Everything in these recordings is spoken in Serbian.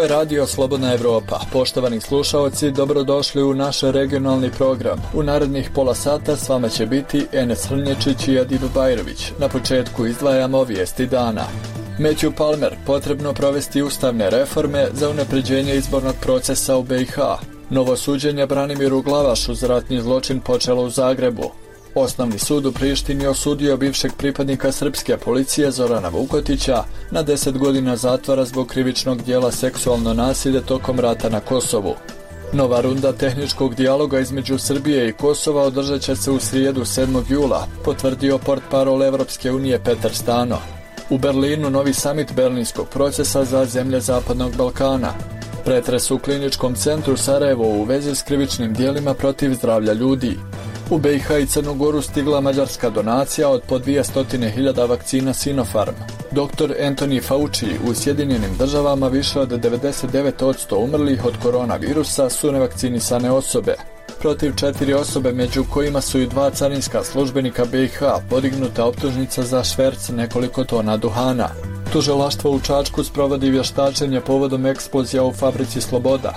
je Radio Slobodna Evropa. Poštovani slušaoci, dobrodošli u naš regionalni program. U narednih pola sata s vama će biti Enes Hrnječić i Adil Bajrović. Na početku izdvajamo vijesti dana. Matthew Palmer, potrebno provesti ustavne reforme za unapređenje izbornog procesa u BiH. Novo suđenje Branimiru Glavašu za ratni zločin počelo u Zagrebu. Osnovni sud u Prištini osudio bivšeg pripadnika srpske policije Zorana Vukotića na 10 godina zatvora zbog krivičnog dijela seksualno nasilje tokom rata na Kosovu. Nova runda tehničkog dijaloga između Srbije i Kosova održat će se u srijedu 7. jula, potvrdio portparol Evropske unije Petar Stano. U Berlinu novi samit berlinskog procesa za zemlje Zapadnog Balkana. Pretres u kliničkom centru Sarajevo u vezi s krivičnim dijelima protiv zdravlja ljudi. U BiH i Crnu Goru stigla mađarska donacija od po 200.000 vakcina Sinopharm. Dr. Anthony Fauci u Sjedinjenim državama više od 99% umrlih od koronavirusa su nevakcinisane osobe. Protiv 4 osobe, među kojima su i 2 carinska službenika BiH, podignuta optužnica za šverc nekoliko tona duhana. Tužilaštvo u Čačku sprovodi vještačenje povodom eksplozija u fabrici Sloboda.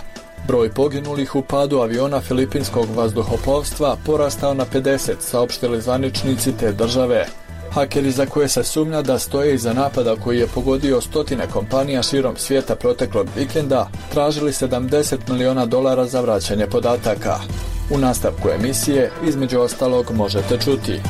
Broj poginulih u padu aviona filipinskog vazduhoplovstva porastao na 50, saopštili zvaničnici te države. Hakeri za koje se sumnja da stoje iza napada koji je pogodio stotine kompanija širom svijeta proteklog vikenda, tražili $70 miliona za vraćanje podataka. U nastavku emisije, između ostalog, možete čuti: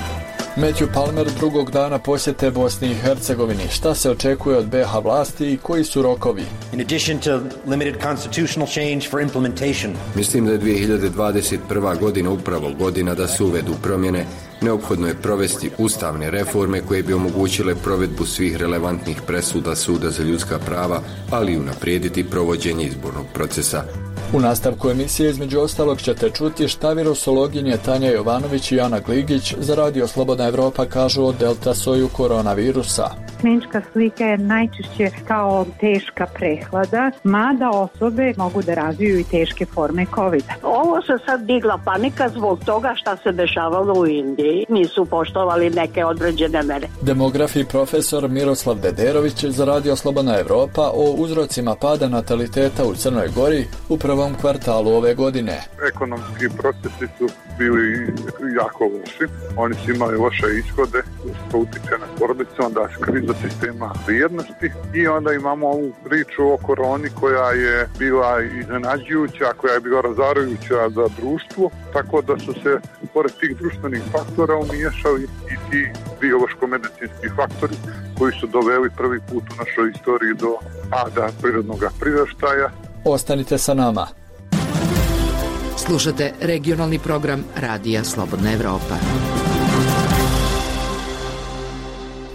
Matthew Palmer drugog dana posjete Bosni i Hercegovini. Šta se očekuje od BiH vlasti i koji su rokovi? In addition to limited constitutional change for implementation. Mislim da je 2021. godina upravo godina da se uvedu promjene. Neophodno je provesti ustavne reforme koje bi omogućile provedbu svih relevantnih presuda Suda za ljudska prava, ali i unaprijediti provođenje izbornog procesa. U nastavku emisije između ostalog ćete čuti šta virusologinje Tanja Jovanović i Ana Gligić za Radio Slobodna Evropa kažu o delta soju koronavirusa. Klinička slika je najčešće kao teška prehlada, mada osobe mogu da razviju i teške forme COVID-a. Ovo se sad digla panika zbog toga šta se dešavalo u Indiji. Nisu poštovali neke određene mere. Demograf i profesor Miroslav Dederović za Radio Slobodna Evropa o uzrocima pada nataliteta u Crnoj Gori u prvom kvartalu ove godine. Ekonomski procesi su bili jako loši. Oni su imali loše ishode, što utiče na porodicu, onda kriza sistema vrijednosti i onda imamo ovu priču o koroni koja je bila iznenađujuća, koja je bila razarajuća za društvo, tako da su se pored tih društvenih faktora umiješali i ti biološko-medicinski faktori koji su doveli prvi put u našoj istoriji do pada prirodnog priraštaja. Ostanite sa nama. Slušate regionalni program Radija Slobodna Evropa.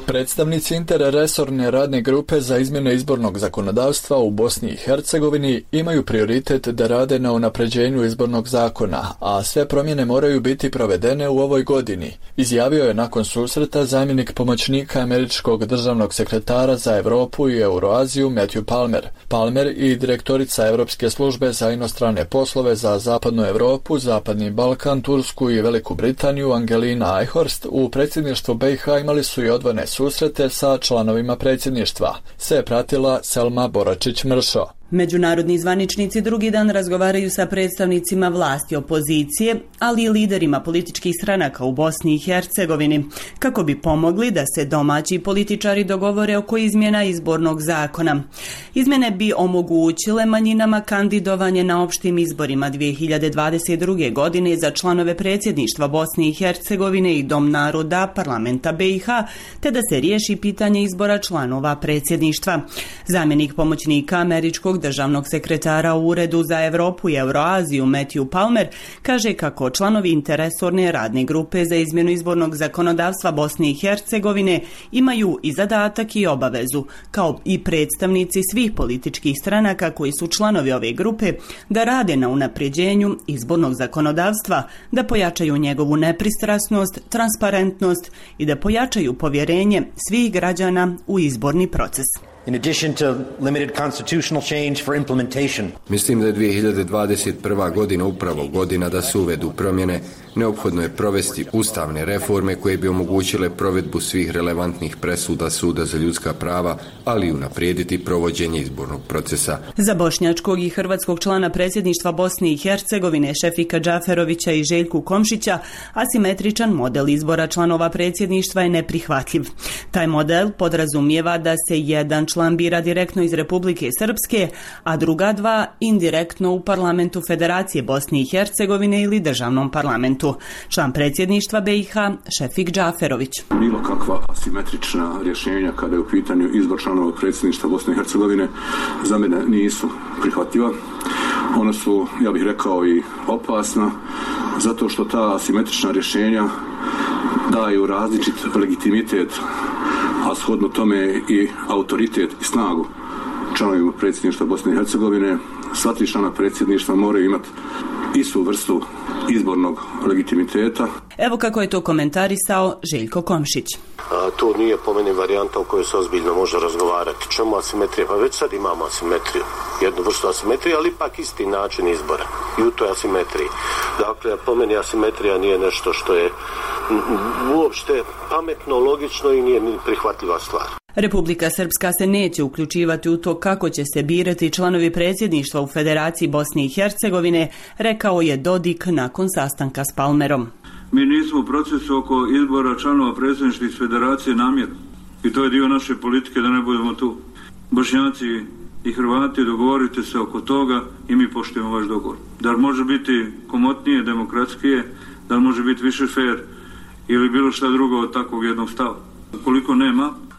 Predstavnici interresorne radne grupe za izmjene izbornog zakonodavstva u Bosni i Hercegovini imaju prioritet da rade na unapređenju izbornog zakona, a sve promjene moraju biti provedene u ovoj godini, izjavio je nakon susreta zamjenik pomoćnika američkog državnog sekretara za Europu i Euroaziju Matthew Palmer. Palmer i direktorica Europske službe za inostrane poslove za Zapadnu Europu, Zapadni Balkan, Tursku i Veliku Britaniju Angelina Eichhorst u predsjedništvu BiH imali su i odvojene susrete sa članovima predsjedništva. Sve je pratila Selma Boračić-Mršo. Međunarodni zvaničnici drugi dan razgovaraju sa predstavnicima vlasti opozicije, ali i liderima političkih stranaka u Bosni i Hercegovini, kako bi pomogli da se domaći političari dogovore oko izmjena izbornog zakona. Izmjene bi omogućile manjinama kandidovanje na opštim izborima 2022. godine za članove predsjedništva Bosne i Hercegovine i Dom naroda parlamenta BiH, te da se riješi pitanje izbora članova predsjedništva. Zamjenik pomoćnika američkog državnog sekretara u Uredu za Europu i Euroaziju Matthew Palmer kaže kako članovi interresorne radne grupe za izmjenu izbornog zakonodavstva Bosne i Hercegovine imaju i zadatak i obavezu, kao i predstavnici svih političkih stranaka koji su članovi ove grupe, da rade na unapređenju izbornog zakonodavstva, da pojačaju njegovu nepristrasnost, transparentnost i da pojačaju povjerenje svih građana u izborni proces. in addition to limited constitutional change for implementation. Mislim da je 2021. godina upravo godina da se uvedu promjene. Neophodno je provesti ustavne reforme koje bi omogućile provedbu svih relevantnih presuda Suda za ljudska prava, ali i unaprijediti provođenje izbornog procesa. Za bošnjačkog i hrvatskog člana predsjedništva Bosne i Hercegovine Šefika Džaferovića i Željku Komšića asimetričan model izbora članova predsjedništva je neprihvatljiv. Taj model podrazumijeva da se jedan član bira direktno iz Republike Srpske, a druga dva indirektno u parlamentu Federacije Bosne i Hercegovine ili državnom parlamentu. Član predsjedništva BiH Šefik Džaferović. Bilo kakva asimetrična rješenja kada je u pitanju izbor članova predsjedništva Bosne i Hercegovine za mene nisu prihvatljiva. Ona su, ja bih rekao, i opasna zato što ta asimetrična rješenja daju različit legitimitet, a shodno tome i autoritet i snagu članovima predsjedništva Bosne i Hercegovine. Sva tri člana predsjedništva moraju imati istu vrstu izbornog legitimiteta. Evo kako je to komentarisao Željko Komšić. To nije po meni varijanta o kojoj se ozbiljno može razgovarati. Čemu asimetrija? Pa već sad imamo asimetriju. Jednu vrstu asimetrije, ali ipak isti način izbora. I u toj asimetriji. Dakle, po meni asimetrija nije nešto što je uopšte pametno, logično i nije ni prihvatljiva stvar. Republika Srpska se neće uključivati u to kako će se birati članovi predsjedništva u Federaciji Bosne i Hercegovine, rekao je Dodik nakon sastanka s Palmerom. Mi nismo u procesu oko izbora članova predsjedništva iz Federacije namjerno. I to je dio naše politike da ne budemo tu. Bošnjaci i Hrvati, dogovorite se oko toga i mi poštujemo vaš dogovor. Da li može biti komotnije, demokratskije, da li može biti više fair ili bilo šta drugo od takvog jednog stava. Ukoliko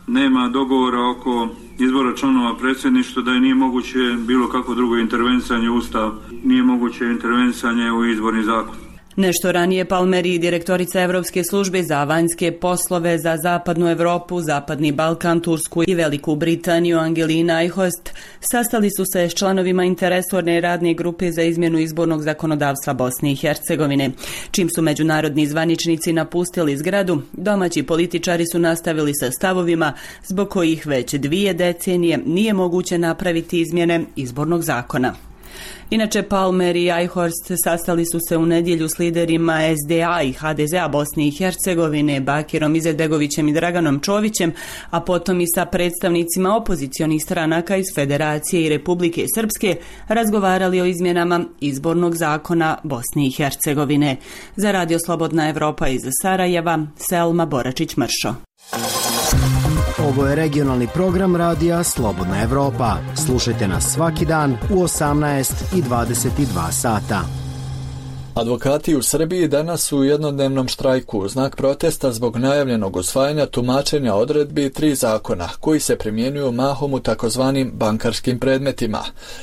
nema dogovora oko izbora članova predsjedništva, da je nije moguće bilo kako drugo intervencanje u Ustav, nije moguće intervencanje u izborni zakon. Nešto ranije Palmer i direktorica Europske službe za vanjske poslove za Zapadnu Europu, Zapadni Balkan, Tursku i Veliku Britaniju Angelina Eichhorst sastali su se s članovima interresorne radne grupe za izmjenu izbornog zakonodavstva Bosne i Hercegovine. Čim su međunarodni zvaničnici napustili zgradu, domaći političari su nastavili sa stavovima zbog kojih već 2 decenije nije moguće napraviti izmjene izbornog zakona. Inače, Palmer i Eichhorst sastali su se u nedjelju s liderima SDA i HDZ-a Bosne i Hercegovine, Bakirom Izetbegovićem i Draganom Čovićem, a potom i sa predstavnicima opozicionih stranaka iz Federacije i Republike Srpske razgovarali o izmjenama izbornog zakona Bosne i Hercegovine. Za Radio Slobodna Evropa iz Sarajeva, Selma Boračić-Mršo. Ovo je regionalni program radija Slobodna Evropa. Slušajte nas svaki dan u 18 i 22 sata. Advokati u Srbiji danas su u jednodnevnom štrajku u znak protesta zbog najavljenog usvajanja tumačenja odredbi 3 zakona koji se primjenjuju mahom u takozvanim bankarskim predmetima.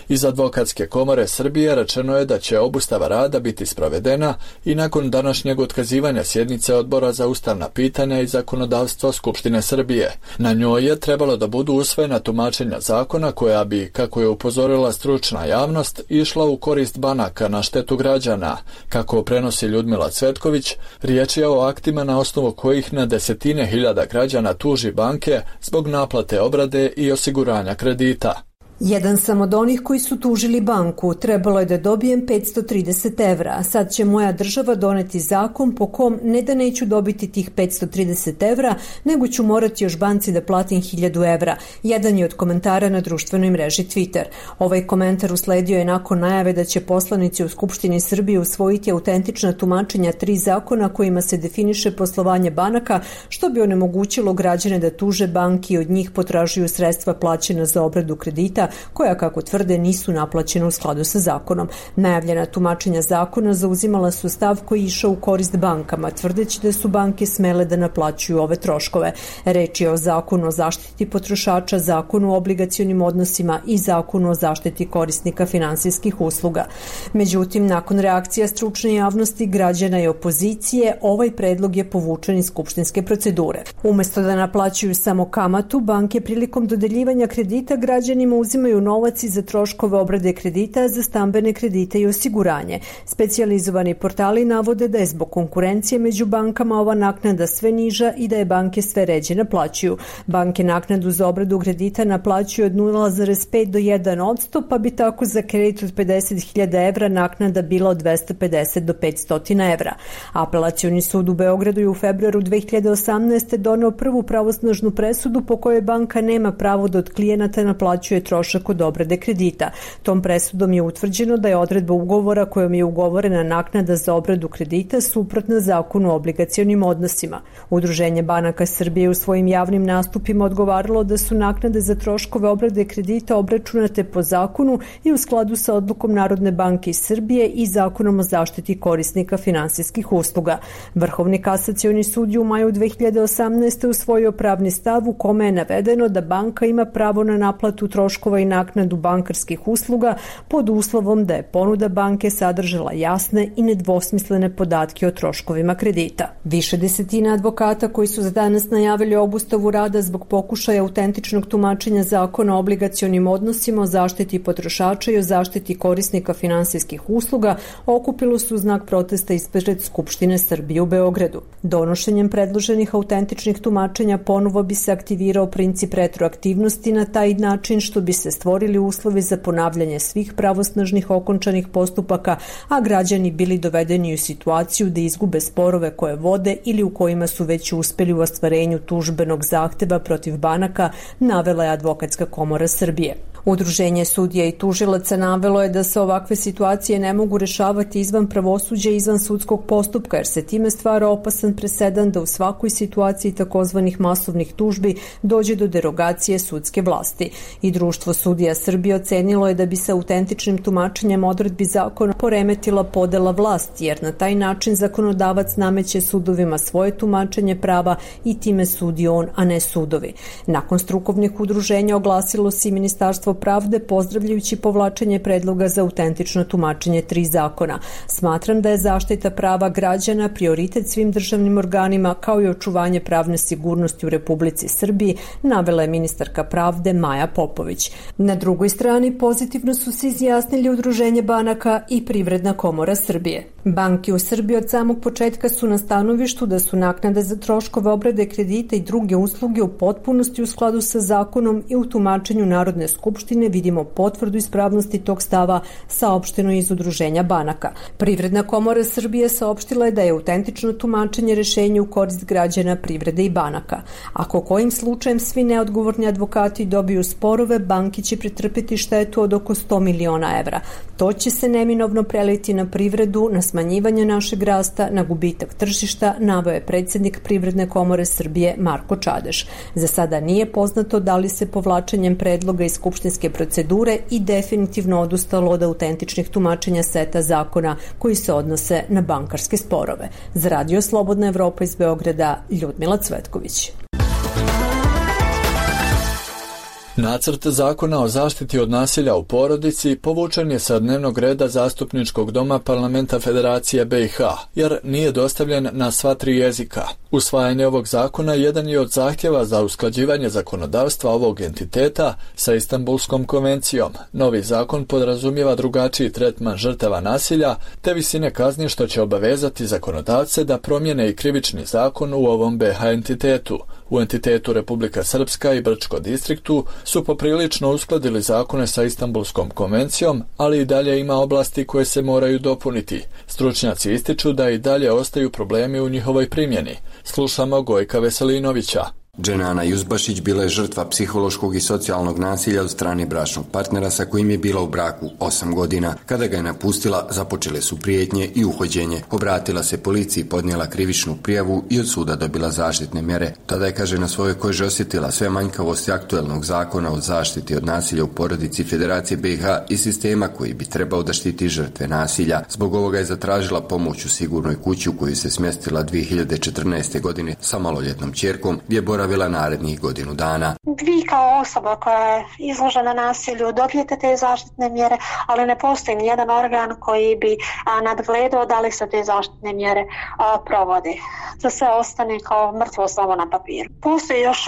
Iz Advokatske komore Srbije rečeno je da će obustava rada biti sprovedena i nakon današnjeg otkazivanja sjednice Odbora za ustavna pitanja i zakonodavstvo Skupštine Srbije. Na njoj je trebalo da budu usvojena tumačenja zakona koja bi, kako je upozorila stručna javnost, išla u korist banaka na štetu građana. Kako prenosi Ljudmila Cvetković, riječ je o aktima na osnovu kojih na desetine hiljada građana tuži banke zbog naplate obrade i osiguranja kredita. Jedan sam od onih koji su tužili banku. Trebalo je da dobijem 530 evra. Sad će moja država doneti zakon po kom ne da neću dobiti tih 530 evra, nego ću morati još banci da platim 1000 evra. Jedan je od komentara na društvenoj mreži Twitter. Ovaj komentar usledio je nakon najave da će poslanici u Skupštini Srbije usvojiti autentična tumačenja 3 zakona kojima se definiše poslovanje banaka, što bi onemogućilo građane da tuže banki i od njih potražuju sredstva plaćena za obradu kredita, koja, kako tvrde, nisu naplaćena u skladu sa zakonom. Najavljena tumačenja zakona zauzimala su stav koji je išao u korist bankama, tvrdeći da su banke smele da naplaćuju ove troškove. Reč je o zakonu o zaštiti potrošača, zakonu o obligacionim odnosima i zakonu o zaštiti korisnika finansijskih usluga. Međutim, nakon reakcija stručne javnosti, građana i opozicije, ovaj predlog je povučen iz skupštinske procedure. Umesto da naplaćuju samo kamatu, banke prilikom dodeljivanja kredita građanima uzimaju uzimaju novac za troškove obrade kredita za stambene kredite i osiguranje. Specijalizovani portali navode da je zbog konkurencije među bankama ova naknada sve niža i da je banke sve ređe naplaćuju. Banke naknadu za obradu kredita naplaćuju od 0,5 do 1%, pa bi tako za kredit od 50.000 evra naknada bila od 250 do 500 evra. Apelacioni sud u Beogradu je u februaru 2018. doneo prvu pravosnažnu presudu po kojoj banka nema pravo da od klijenata naplaćuje trošak od obrade kredita. Tom presudom je utvrđeno da je odredba ugovora kojom je ugovorena naknada za obradu kredita suprotna zakonu o obligacionim odnosima. Udruženje banaka Srbije u svojim javnim nastupima odgovaralo da su naknade za troškove obrade kredita obračunate po zakonu i u skladu sa odlukom Narodne banke Srbije i zakonom o zaštiti korisnika finansijskih usluga. Vrhovni kasacioni sud je u maju 2018. usvojio pravni stav u kome je navedeno da banka ima pravo na naplatu troškova i naknadu bankarskih usluga pod uslovom da je ponuda banke sadržala jasne i nedvosmislene podatke o troškovima kredita. Više desetina advokata koji su za danas najavili obustavu rada zbog pokušaja autentičnog tumačenja zakona o obligacionim odnosima, o zaštiti potrošača i o zaštiti korisnika finansijskih usluga okupilo su u znak protesta ispred Skupštine Srbije u Beogradu. Donošenjem predloženih autentičnih tumačenja ponovo bi se aktivirao princip retroaktivnosti na taj način što bi se stvorili uslovi za ponavljanje svih pravosnažnih okončanih postupaka, a građani bili dovedeni u situaciju da izgube sporove koje vode ili u kojima su već uspeli u ostvarenju tužbenog zahteva protiv banaka, navela je Advokatska komora Srbije. Udruženje sudija i tužilaca navelo je da se ovakve situacije ne mogu rešavati izvan pravosuđa i izvan sudskog postupka, jer se time stvara opasan presedan da u svakoj situaciji takozvanih masovnih tužbi dođe do derogacije sudske vlasti. I Društvo sudija Srbije ocenilo je da bi se autentičnim tumačenjem odredbi zakona poremetila podela vlasti, jer na taj način zakonodavac nameće sudovima svoje tumačenje prava i time sudi on, a ne sudovi. Nakon strukovnih udruženja oglasilo se i Ministarstvo pravde pozdravljajući povlačenje predloga za autentično tumačenje 3 zakona. Smatram da je zaštita prava građana prioritet svim državnim organima kao i očuvanje pravne sigurnosti u Republici Srbiji, navela je ministarka pravde Maja Popović. Na drugoj strani pozitivno su se izjasnili Udruženje banaka i Privredna komora Srbije. Banke u Srbiji od samog početka su na stanovištu da su naknade za troškove obrade kredita i druge usluge u potpunosti u skladu sa zakonom i u tumačenju Narodne skupštine vidimo potvrdu ispravnosti tog stava, saopšteno iz Udruženja banaka. Privredna komora Srbije saopštila je da je autentično tumačenje rešenje u korist građana, privrede i banaka. Ako kojim slučajem svi neodgovorni advokati dobiju sporove, banke će pretrpeti štetu od oko 100 miliona evra. To će se neminovno preliti na privredu, na smanjivanje našeg rasta, na gubitak tržišta, naveo je predsjednik Privredne komore Srbije Marko Čadeš. Za sada nije poznato da li se povlačenjem predloga iz skupštinske procedure i definitivno odustalo od autentičnih tumačenja seta zakona koji se odnose na bankarske sporove. Za Radio Slobodna Evropa iz Beograda, Ljudmila Cvetković. Nacrt zakona o zaštiti od nasilja u porodici povučen je sa dnevnog reda Zastupničkog doma Parlamenta Federacije BiH, jer nije dostavljen na sva 3 jezika. Usvajanje ovog zakona jedan je od zahtjeva za usklađivanje zakonodavstva ovog entiteta sa Istanbulskom konvencijom. Novi zakon podrazumijeva drugačiji tretman žrtava nasilja te visine kazni, što će obavezati zakonodavce da promijene i krivični zakon u ovom BiH entitetu. U entitetu Republika Srpska i Brčko distriktu su poprilično uskladili zakone sa Istanbulskom konvencijom, ali i dalje ima oblasti koje se moraju dopuniti. Stručnjaci ističu da i dalje ostaju problemi u njihovoj primjeni. Slušamo Gojka Veselinovića. Dženana Juzbašić bila je žrtva psihološkog i socijalnog nasilja od strane bračnog partnera sa kojim je bila u braku 8 godina. Kada ga je napustila, započele su prijetnje i uhođenje. Obratila se policiji, podnijela krivičnu prijavu i od suda dobila zaštitne mjere. Tada je, kaže, na svojoj koži osjetila sve manjkavosti aktuelnog zakona o zaštiti od nasilja u porodici Federacije BiH i sistema koji bi trebao da štiti žrtve nasilja. Zbog ovoga je zatražila pomoć u sigurnoj kući u koju se smjestila 2014. godine sa maloljetnom ćerkom, gdje je zaboravila narednih godinu dana. Vi kao osoba koja je izložena nasilju dobijete te zaštitne mjere, ali ne postoji nijedan organ koji bi nadgledao da li se te zaštitne mjere provode. To sve ostane kao mrtvo slovo na papiru. Postoji još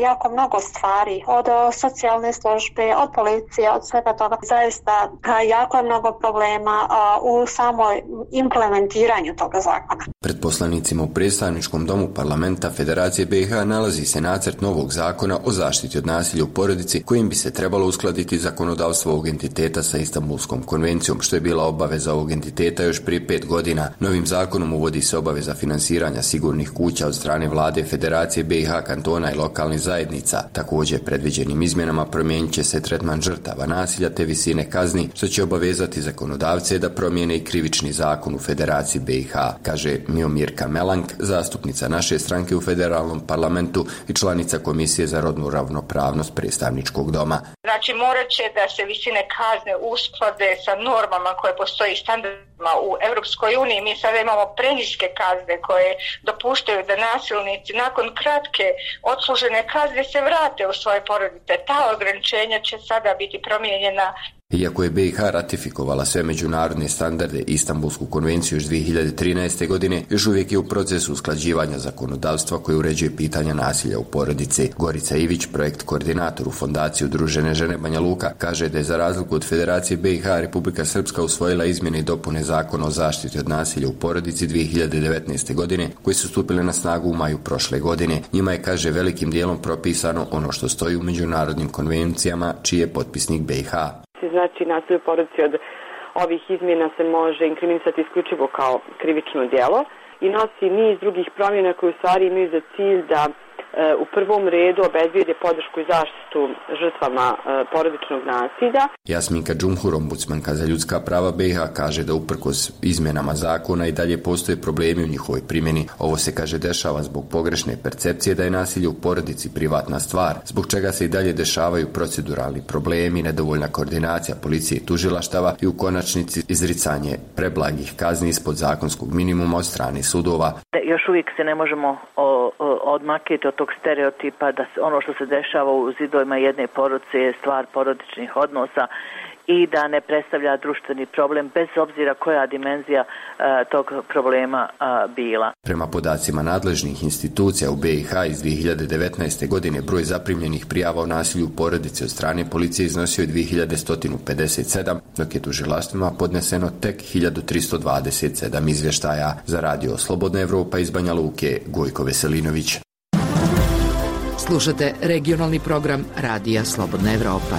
jako mnogo stvari, od socijalne službe, od policije, od svega toga. Zaista jako je mnogo problema u samoj implementiranju toga zakona. Pred poslanicima u predstavničkom domu parlamenta Federacije BiH nalazi se nacrt novog zakona o zaštiti od nasilja u porodici kojim bi se trebalo uskladiti zakonodavstvo ovog entiteta sa Istanbulskom konvencijom, što je bila obaveza ovog entiteta još prije 5 godina. Novim zakonom uvodi se obaveza finansiranja sigurnih kuća od strane vlade Federacije BiH, kantona i lokalnih zajednica. Također, predviđenim izmjenama promijenit će se tretman žrtava nasilja te visine kazni, što će obavezati zakonodavce da promijene i krivični zakon u Federaciji BiH, kaže Miomirka Melank, zastupnica naše stranke u federalnom parlamentu i članica Komisije za rodnu ravnopravnost predstavničkog doma. Znači, morat će da se visine kazne usklade sa normama koje postoji standardima u Europskoj uniji. Mi sada imamo preniske kazne koje dopuštaju da nasilnici nakon kratke odslužene kazne se vrate u svoje porodice. Ta ograničenja će sada biti promijenjena. Iako je BiH ratifikovala sve međunarodne standarde i Istanbulsku konvenciju još 2013. godine, još uvijek je u procesu usklađivanja zakonodavstva koje uređuje pitanja nasilja u porodici. Gorica Ivić, projekt koordinator u Fondaciji Udružene žene Banja Luka, kaže da je za razliku od Federacije BiH Republika Srpska usvojila izmjene i dopune Zakona o zaštiti od nasilja u porodici 2019. godine, koji su stupile na snagu u maju prošle godine. Njima je, kaže, velikim dijelom propisano ono što stoji u međunarodnim konvencijama čiji je potpisnik BiH. Znači, nasilje u porodici od ovih izmjena se može inkriminisati isključivo kao krivično djelo i nosi niz drugih promjena koje u stvari imaju za cilj da u prvom redu obezbijede podršku i zaštitu žrtvama porodičnog nasilja. Jasminka Džumhur, ombudsmanka za ljudska prava BiH, kaže da uprkos izmjenama zakona i dalje postoje problemi u njihovoj primjeni. Ovo se, kaže, dešava zbog pogrešne percepcije da je nasilje u porodici privatna stvar, zbog čega se i dalje dešavaju proceduralni problemi, nedovoljna koordinacija policije i tužilaštava i u konačnici izricanje preblagih kazni ispod zakonskog minimuma od strane sudova. Još uvijek se ne možemo odmaknuti od tog stereotipa da ono što se dešava u zidovima jedne porodice je stvar porodičnih odnosa i da ne predstavlja društveni problem bez obzira koja dimenzija tog problema bila. Prema podacima nadležnih institucija u BiH iz 2019. godine broj zaprimljenih prijava o nasilju u porodici od strane policije iznosio je 2157, dok je tužilaštvima podneseno tek 1327 izvještaja. Za radio Slobodna Evropa iz Banja Luke, Gojko Veselinović. Slušate regionalni program Radija Slobodna Evropa.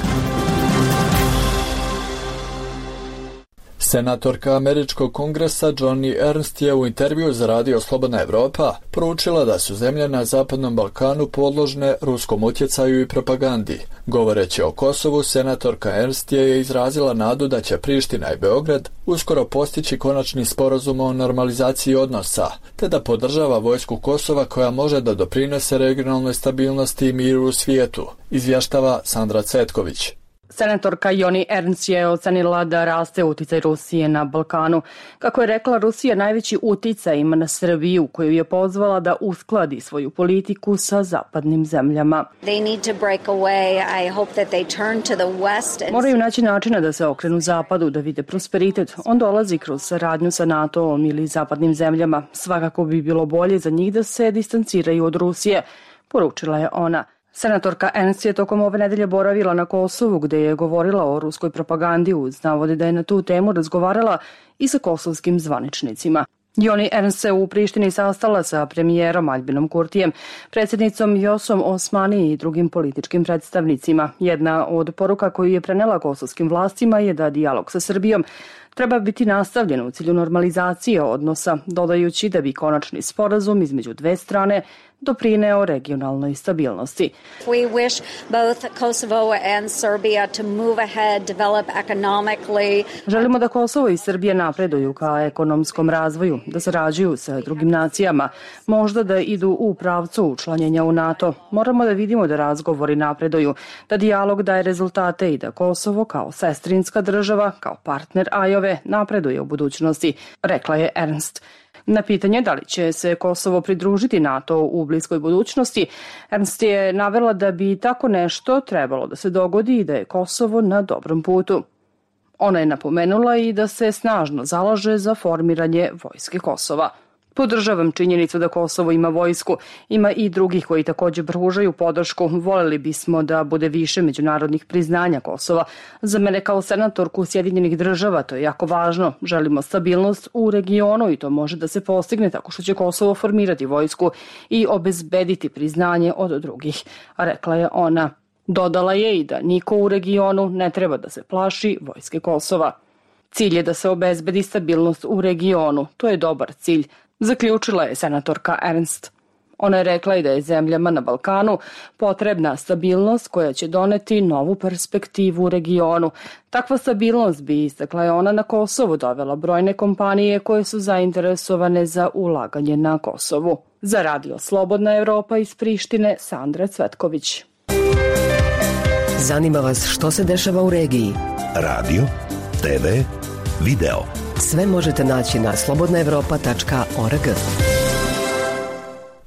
Senatorka Američkog kongresa Joni Ernst je u intervju za Radio Slobodna Evropa poručila da su zemlje na Zapadnom Balkanu podložne ruskom utjecaju i propagandi. Govoreći o Kosovu, senatorka Ernst je izrazila nadu da će Priština i Beograd uskoro postići konačni sporazum o normalizaciji odnosa, te da podržava vojsku Kosova koja može da doprinese regionalnoj stabilnosti i miru u svijetu, izvještava Sandra Cetković. Senatorka Joni Ernst je ocenila da raste uticaj Rusije na Balkanu. Kako je rekla, Rusija najveći uticaj ima na Srbiju, koju je pozvala da uskladi svoju politiku sa zapadnim zemljama. Moraju naći načina da se okrenu zapadu, da vide prosperitet. On dolazi kroz saradnju sa NATO-om ili zapadnim zemljama. Svakako bi bilo bolje za njih da se distanciraju od Rusije, poručila je ona. Senatorka Ernst je tokom ove nedelje boravila na Kosovu, gde je govorila o ruskoj propagandi uz navode da je na tu temu razgovarala i sa kosovskim zvaničnicima. Joni Ernst se u Prištini sastala sa premijerom Aljbinom Kurtijem, predsjednicom Vjosom Osmani i drugim političkim predstavnicima. Jedna od poruka koju je prenela kosovskim vlastima je da dijalog sa Srbijom treba biti nastavljen u cilju normalizacije odnosa, dodajući da bi konačni sporazum između dve strane doprineo regionalnoj stabilnosti. We wish both Kosovo and Serbia to move ahead, develop economically. Želimo da Kosovo i Srbija napreduju ka ekonomskom razvoju, da sarađuju sa drugim nacijama, možda da idu u pravcu učlanjenja u NATO. Moramo da vidimo da razgovori napreduju, da dijalog daje rezultate i da Kosovo kao sestrinska država, kao partner Ajove, napreduje u budućnosti, rekla je Ernst. Na pitanje da li će se Kosovo pridružiti NATO u bliskoj budućnosti, Ernst je navela da bi tako nešto trebalo da se dogodi i da je Kosovo na dobrom putu. Ona je napomenula i da se snažno zalaže za formiranje vojske Kosova. Podržavam činjenicu da Kosovo ima vojsku, ima i drugih koji također pružaju podršku. Voljeli bismo da bude više međunarodnih priznanja Kosova. Za mene kao senatorku Sjedinjenih država to je jako važno. Želimo stabilnost u regionu i to može da se postigne tako što će Kosovo formirati vojsku i obezbediti priznanje od drugih, rekla je ona. Dodala je i da niko u regionu ne treba da se plaši vojske Kosova. Cilj je da se obezbedi stabilnost u regionu. To je dobar cilj, zaključila je senatorka Ernst. Ona je rekla i da je zemljama na Balkanu potrebna stabilnost koja će doneti novu perspektivu u regionu. Takva stabilnost bi, istakla je ona, na Kosovu dovela brojne kompanije koje su zainteresovane za ulaganje na Kosovu. Za Radio Slobodna Evropa iz Prištine, Sandra Cvetković. Zanima vas što se dešava u regiji? Radio, TV, video. Sve možete naći na slobodnaevropa.org.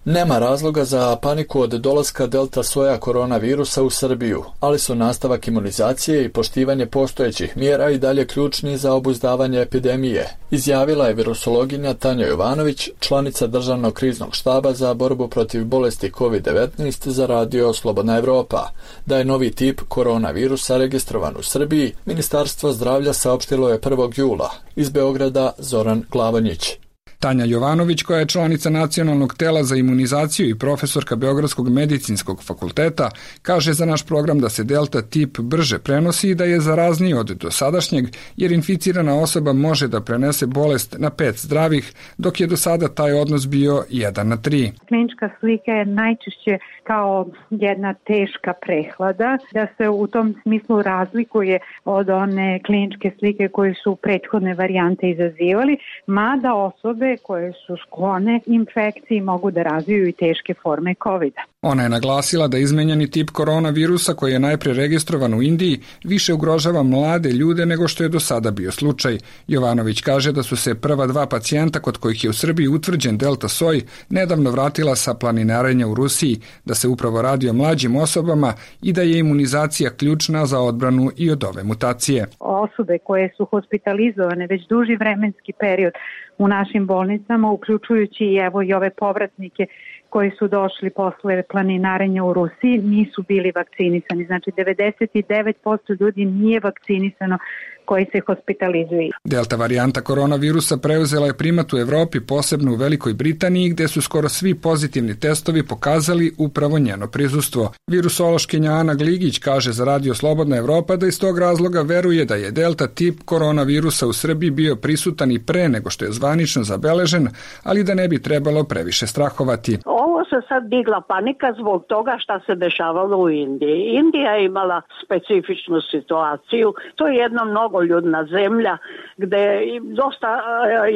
Nema razloga za paniku od dolaska delta soja koronavirusa u Srbiju, ali su nastavak imunizacije i poštivanje postojećih mjera i dalje ključni za obuzdavanje epidemije, izjavila je virusologinja Tanja Jovanović, članica Državnog kriznog štaba za borbu protiv bolesti COVID-19 za Radio Slobodna Evropa. Da je novi tip koronavirusa registrovan u Srbiji, Ministarstvo zdravlja saopštilo je 1. jula. Iz Beograda Zoran Glavonjić. Tanja Jovanović, koja je članica Nacionalnog tela za imunizaciju i profesorka Beogradskog medicinskog fakulteta, kaže za naš program da se delta tip brže prenosi i da je zarazniji od dosadašnjeg, jer inficirana osoba može da prenese bolest na 5 zdravih, dok je do sada taj odnos bio 1:3. Klinička slika je najčešće kao jedna teška prehlada, da se u tom smislu razlikuje od one kliničke slike koje su prethodne varijante izazivali, mada osobe koje su sklone infekciji mogu da razviju i teške forme COVID-a. Ona je naglasila da izmenjeni tip koronavirusa koji je najpre registrovan u Indiji više ugrožava mlade ljude nego što je do sada bio slučaj. Jovanović kaže da su se prva 2 pacijenta kod kojih je u Srbiji utvrđen delta soj nedavno vratila sa planinarenja u Rusiji, da se upravo radi o mlađim osobama i da je imunizacija ključna za odbranu i od ove mutacije. Osobe koje su hospitalizovane već duži vremenski period u našim bolnicama, uključujući i ove povratnike koji su došli posle planinarenja u Rusiji, nisu bili vakcinisani. Znači 99% ljudi nije vakcinisano koji se hospitalizuju. Delta varijanta koronavirusa preuzela je primat u Evropi, posebno u Velikoj Britaniji, gde su skoro svi pozitivni testovi pokazali upravo njeno prisustvo. Virusološkinja Ana Gligić kaže za Radio Slobodna Evropa da iz tog razloga veruje da je delta tip koronavirusa u Srbiji bio prisutan i pre nego što je zvanično zabeležen, ali da ne bi trebalo previše strahovati. Ovo se sad digla panika zbog toga šta se dešavalo u Indiji. Indija je imala specifičnu situaciju. To je jedna mnogoljudna zemlja gde dosta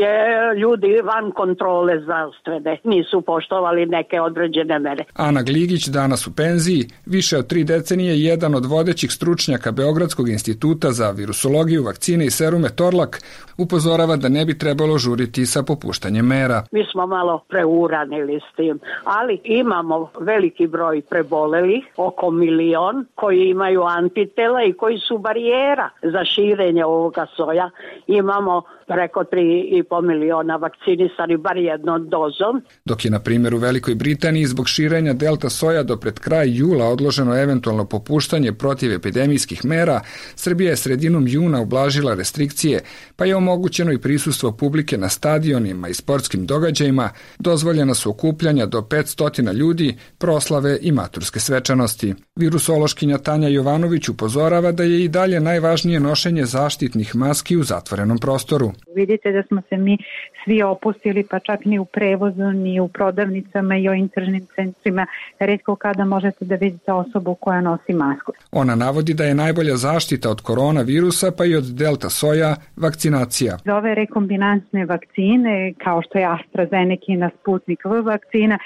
je ljudi van kontrole zdravstvene. Nisu poštovali neke određene mere. Ana Gligić, danas u penziji, više od 3 decenije jedan od vodećih stručnjaka Beogradskog instituta za virusologiju, vakcine i serume Torlak, upozorava da ne bi trebalo žuriti sa popuštanjem mera. Mi smo malo preuranili s tim, ali imamo veliki broj prebolelih, oko 1 milion, koji imaju antitela i koji su barijera za širenje ovoga soja. Imamo preko 3,5 miliona vakcinisani bar jednom dozom. Dok je, na primjer, u Velikoj Britaniji zbog širenja delta soja do pred kraj jula odloženo eventualno popuštanje protiv epidemijskih mera, Srbija je sredinom juna ublažila restrikcije, pa je omogućeno i prisustvo publike na stadionima i sportskim događajima, dozvoljena su okupljanja do 500 ljudi, proslave i maturske svečanosti. Virusološkinja Tanja Jovanović upozorava da je i dalje najvažnije nošenje zaštitnih maski u zatvorenom prostoru. Vidite da smo se mi svi opustili, pa čak ni u prevozu, ni u prodavnicama i o intržnim centrima. Retko kada možete da vidite osobu koja nosi masku. Ona navodi da je najbolja zaštita od koronavirusa, pa i od delta soja, vakcinacija. Za ove rekombinansne vakcine, kao što je AstraZeneca, Sputnik V vakcina,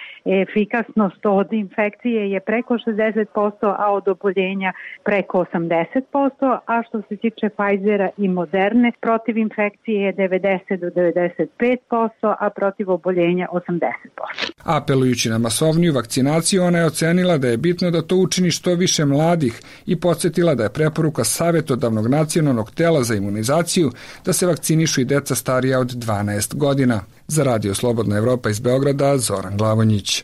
efikasnost od infekcije je preko 60%, a od oboljenja preko 80%, a što se tiče Pfizera i Moderne, protiv infekcije je 90 do 95%, a protiv oboljenja 80%. Apelujući na masovniju vakcinaciju, ona je ocenila da je bitno da to učini što više mladih i podsjetila da je preporuka Savjetodavnog nacionalnog tela za imunizaciju da se vakcinišu i deca starija od 12 godina. Za Radio Slobodna Evropa iz Beograda, Zoran Glavonjić.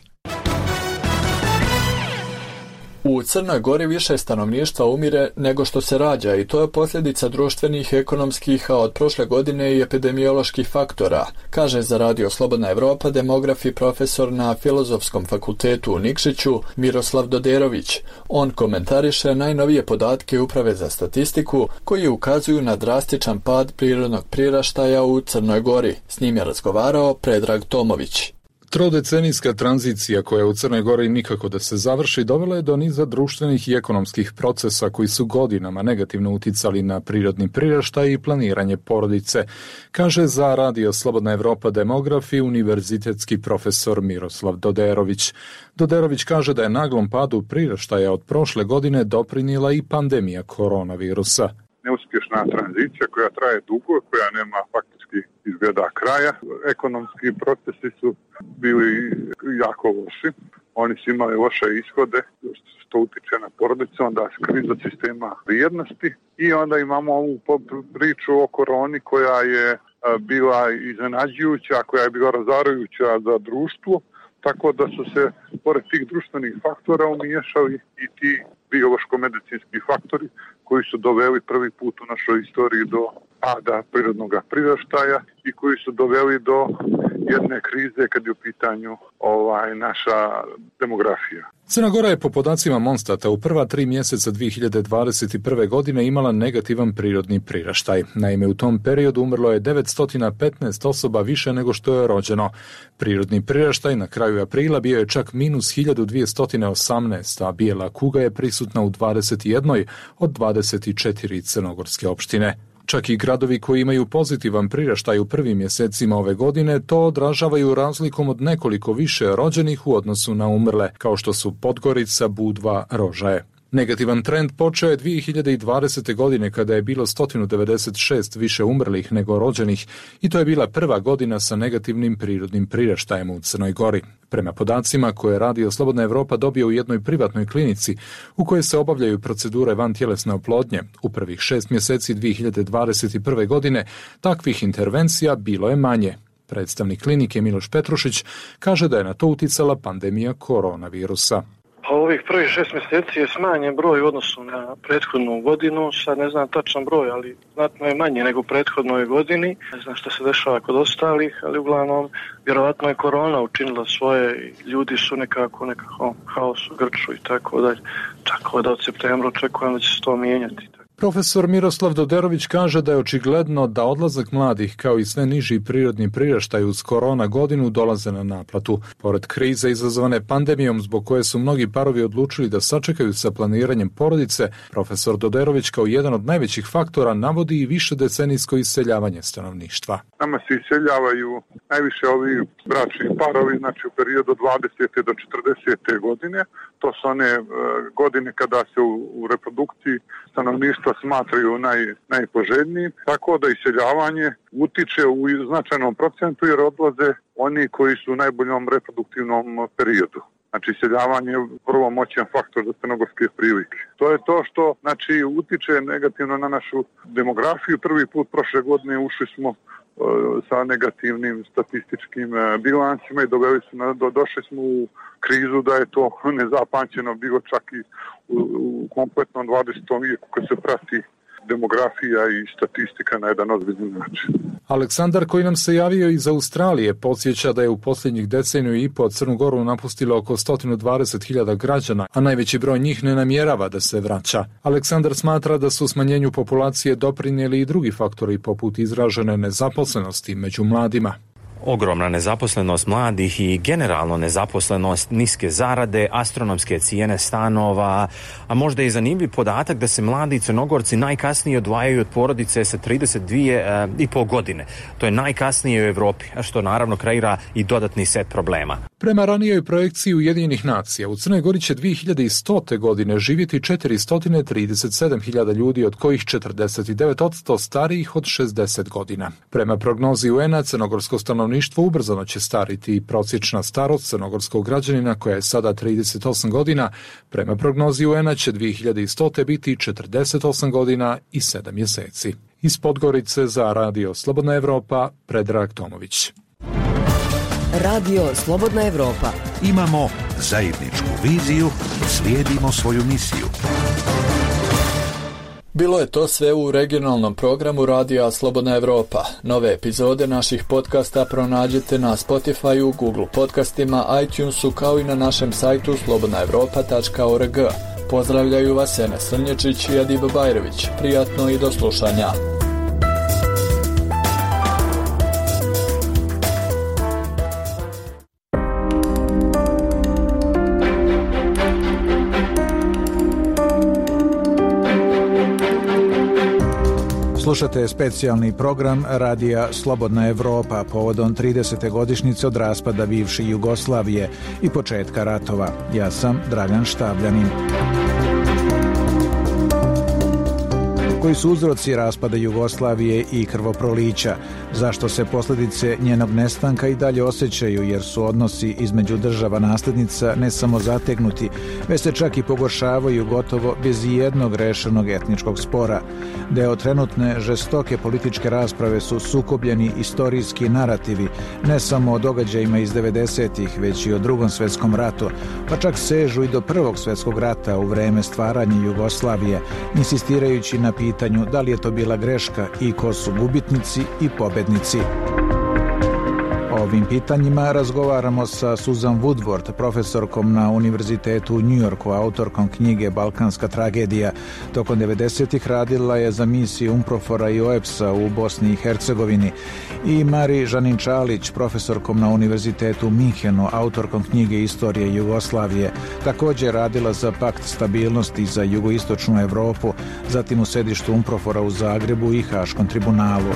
U Crnoj Gori više stanovništva umire nego što se rađa i to je posljedica društvenih, ekonomskih, a od prošle godine i epidemioloških faktora, kaže za Radio Slobodna Evropa demograf i profesor na Filozofskom fakultetu u Nikšiću Miroslav Doderović. On komentariše najnovije podatke Uprave za statistiku koji ukazuju na drastičan pad prirodnog priraštaja u Crnoj Gori. S njim je razgovarao Predrag Tomović. Trodecenijska tranzicija koja u Crnoj Gori nikako da se završi dovela je do niza društvenih i ekonomskih procesa koji su godinama negativno uticali na prirodni priraštaj i planiranje porodice, kaže za Radio Slobodna Evropa demograf i univerzitetski profesor Miroslav Doderović. Doderović kaže da je naglom padu priraštaja od prošle godine doprinijela i pandemija koronavirusa. Neuspješna tranzicija koja traje dugo, koja nema faktički izgleda kraja. Ekonomski procesi su bili jako loši. Oni su imali loše ishode, što utiče na porodicu, onda kriza sistema vrijednosti. I onda imamo ovu priču o koroni koja je bila iznenađujuća, koja je bila razarajuća za društvo. Tako da su se, pored tih društvenih faktora, umiješali i ti biološko-medicinski faktori koji su doveli prvi put u našoj istoriji do pada prirodnog priraštaja i koji su doveli do jedne krize kad je u pitanju naša demografija. Crna Gora je po podacima Monstata u prva 3 mjeseca 2021. godine imala negativan prirodni priraštaj. Naime, u tom periodu umrlo je 915 osoba više nego što je rođeno. Prirodni priraštaj na kraju aprila bio je čak minus 1218, a bijela kuga je prisutna u 21 od 24 crnogorske opštine. Čak i gradovi koji imaju pozitivan priraštaj u prvim mjesecima ove godine to odražavaju razlikom od nekoliko više rođenih u odnosu na umrle, kao što su Podgorica, Budva, Rožaje. Negativan trend počeo je 2020. godine kada je bilo 196 više umrlih nego rođenih i to je bila prva godina sa negativnim prirodnim priraštajem u Crnoj Gori. Prema podacima koje Radio Slobodna Evropa dobio u jednoj privatnoj klinici u kojoj se obavljaju procedure vantjelesne oplodnje, u prvih 6 mjeseci 2021. godine takvih intervencija bilo je manje. Predstavnik klinike Miloš Petrušić kaže da je na to uticala pandemija koronavirusa. Ovih prvih 6 mjeseci je smanjen broj u odnosu na prethodnu godinu, sad ne znam tačan broj, ali znatno je manje nego u prethodnoj godini. Ne znam što se dešava kod ostalih, ali uglavnom vjerovatno je korona učinila svoje, ljudi su nekako haos u grču i tako dalje. Tako da od septembra očekujem da će se to mijenjati. Profesor Miroslav Doderović kaže da je očigledno da odlazak mladih kao i sve niži prirodni priraštaj uz korona godinu dolaze na naplatu. Pored krize izazvane pandemijom zbog koje su mnogi parovi odlučili da sačekaju sa planiranjem porodice, profesor Doderović kao jedan od najvećih faktora navodi i višedecenijsko iseljavanje stanovništva. Nama se iseljavaju najviše ovi bračni parovi, znači u periodu 20. do 40. godine. To su one godine kada se u reprodukciji stanovništva smatraju najpoželjnijim, tako da iseljavanje utiče u značajnom procentu jer odlaze oni koji su u najboljom reproduktivnom periodu. Znači, iseljavanje je prvo moćan faktor za crnogorske prilike. To je to što utiče negativno na našu demografiju. Prvi put prošle godine ušli smo sa negativnim statističkim bilansima i došli smo u krizu da je to nezapamćeno bilo čak i u kompletnom 20. vijeku kad se prati demografija i statistika na jedan ozbiljan način. Aleksandar, koji nam se javio iz Australije, podsjeća da je u posljednjih deceniju i po Crnu Goru napustilo oko 120.000 građana, a najveći broj njih ne namjerava da se vraća. Aleksandar smatra da su smanjenju populacije doprinijeli i drugi faktori poput izražene nezaposlenosti među mladima. ogromna nezaposlenost mladih i generalno nezaposlenost, niske zarade, astronomske cijene stanova, a možda i zanimljiv podatak da se mladi Crnogorci najkasnije odvajaju od porodice sa 32,5 godine. To je najkasnije u Evropi, a što naravno kreira i dodatni set problema. Prema ranijoj projekciji Ujedinjenih nacija, u Crnoj Gori će 2100. godine živjeti 437.000 ljudi, od kojih 49% starijih od 60 godina. Prema prognozi UN-a, crnogorsko stanovništvo ubrzano će stariti i prosječna starost crnogorskog građanina, koja je sada 38 godina, prema prognozi UN-a će 2100. biti 48 godina i 7 mjeseci. Iz Podgorice za Radio Slobodna Evropa, Predrag Tomović. Radio Slobodna Evropa. Imamo zajedničku viziju, slijedimo svoju misiju. Bilo je to sve u regionalnom programu Radija Slobodna Evropa. Nove epizode naših podcasta pronađete na Spotify, Google podcastima, iTunesu, kao i na našem sajtu slobodnaevropa.org. Pozdravljaju vas Enes Srnječić i Adiba Bajrović. Prijatno i do slušanja. Slušate specijalni program Radija Slobodna Evropa povodom 30. godišnjice od raspada bivše Jugoslavije i početka ratova. Ja sam Dragan Štabljanin. Koji su uzroci raspada Jugoslavije i krvoprolića? Zašto se posljedice njenog nestanka i dalje osjećaju, jer su odnosi između država nasljednica ne samo zategnuti, već se čak i pogoršavaju gotovo bez jednog rešenog etničkog spora. Deo trenutne žestoke političke rasprave su sukobljeni istorijski narativi, ne samo o događajima iz 90-ih, već i o Drugom svjetskom ratu, pa čak sežu i do Prvog svjetskog rata u vreme stvaranja Jugoslavije, insistirajući na pitanju da li je to bila greška i ko su gubitnici i pobednici. O ovim pitanjima razgovaramo sa Susan Woodward, profesorkom na Univerzitetu u New Yorku, autorkom knjige Balkanska tragedija. Tokom 90-ih radila je za misiju UNPROFOR-a i OEBS-a u Bosni i Hercegovini. I Mari Žanin-Čalić, profesorkom na Univerzitetu u Minhenu, autorkom knjige Istorije Jugoslavije. Također radila za Pakt stabilnosti za jugoistočnu Evropu, zatim u sedištu UNPROFOR-a u Zagrebu i Haškom tribunalu.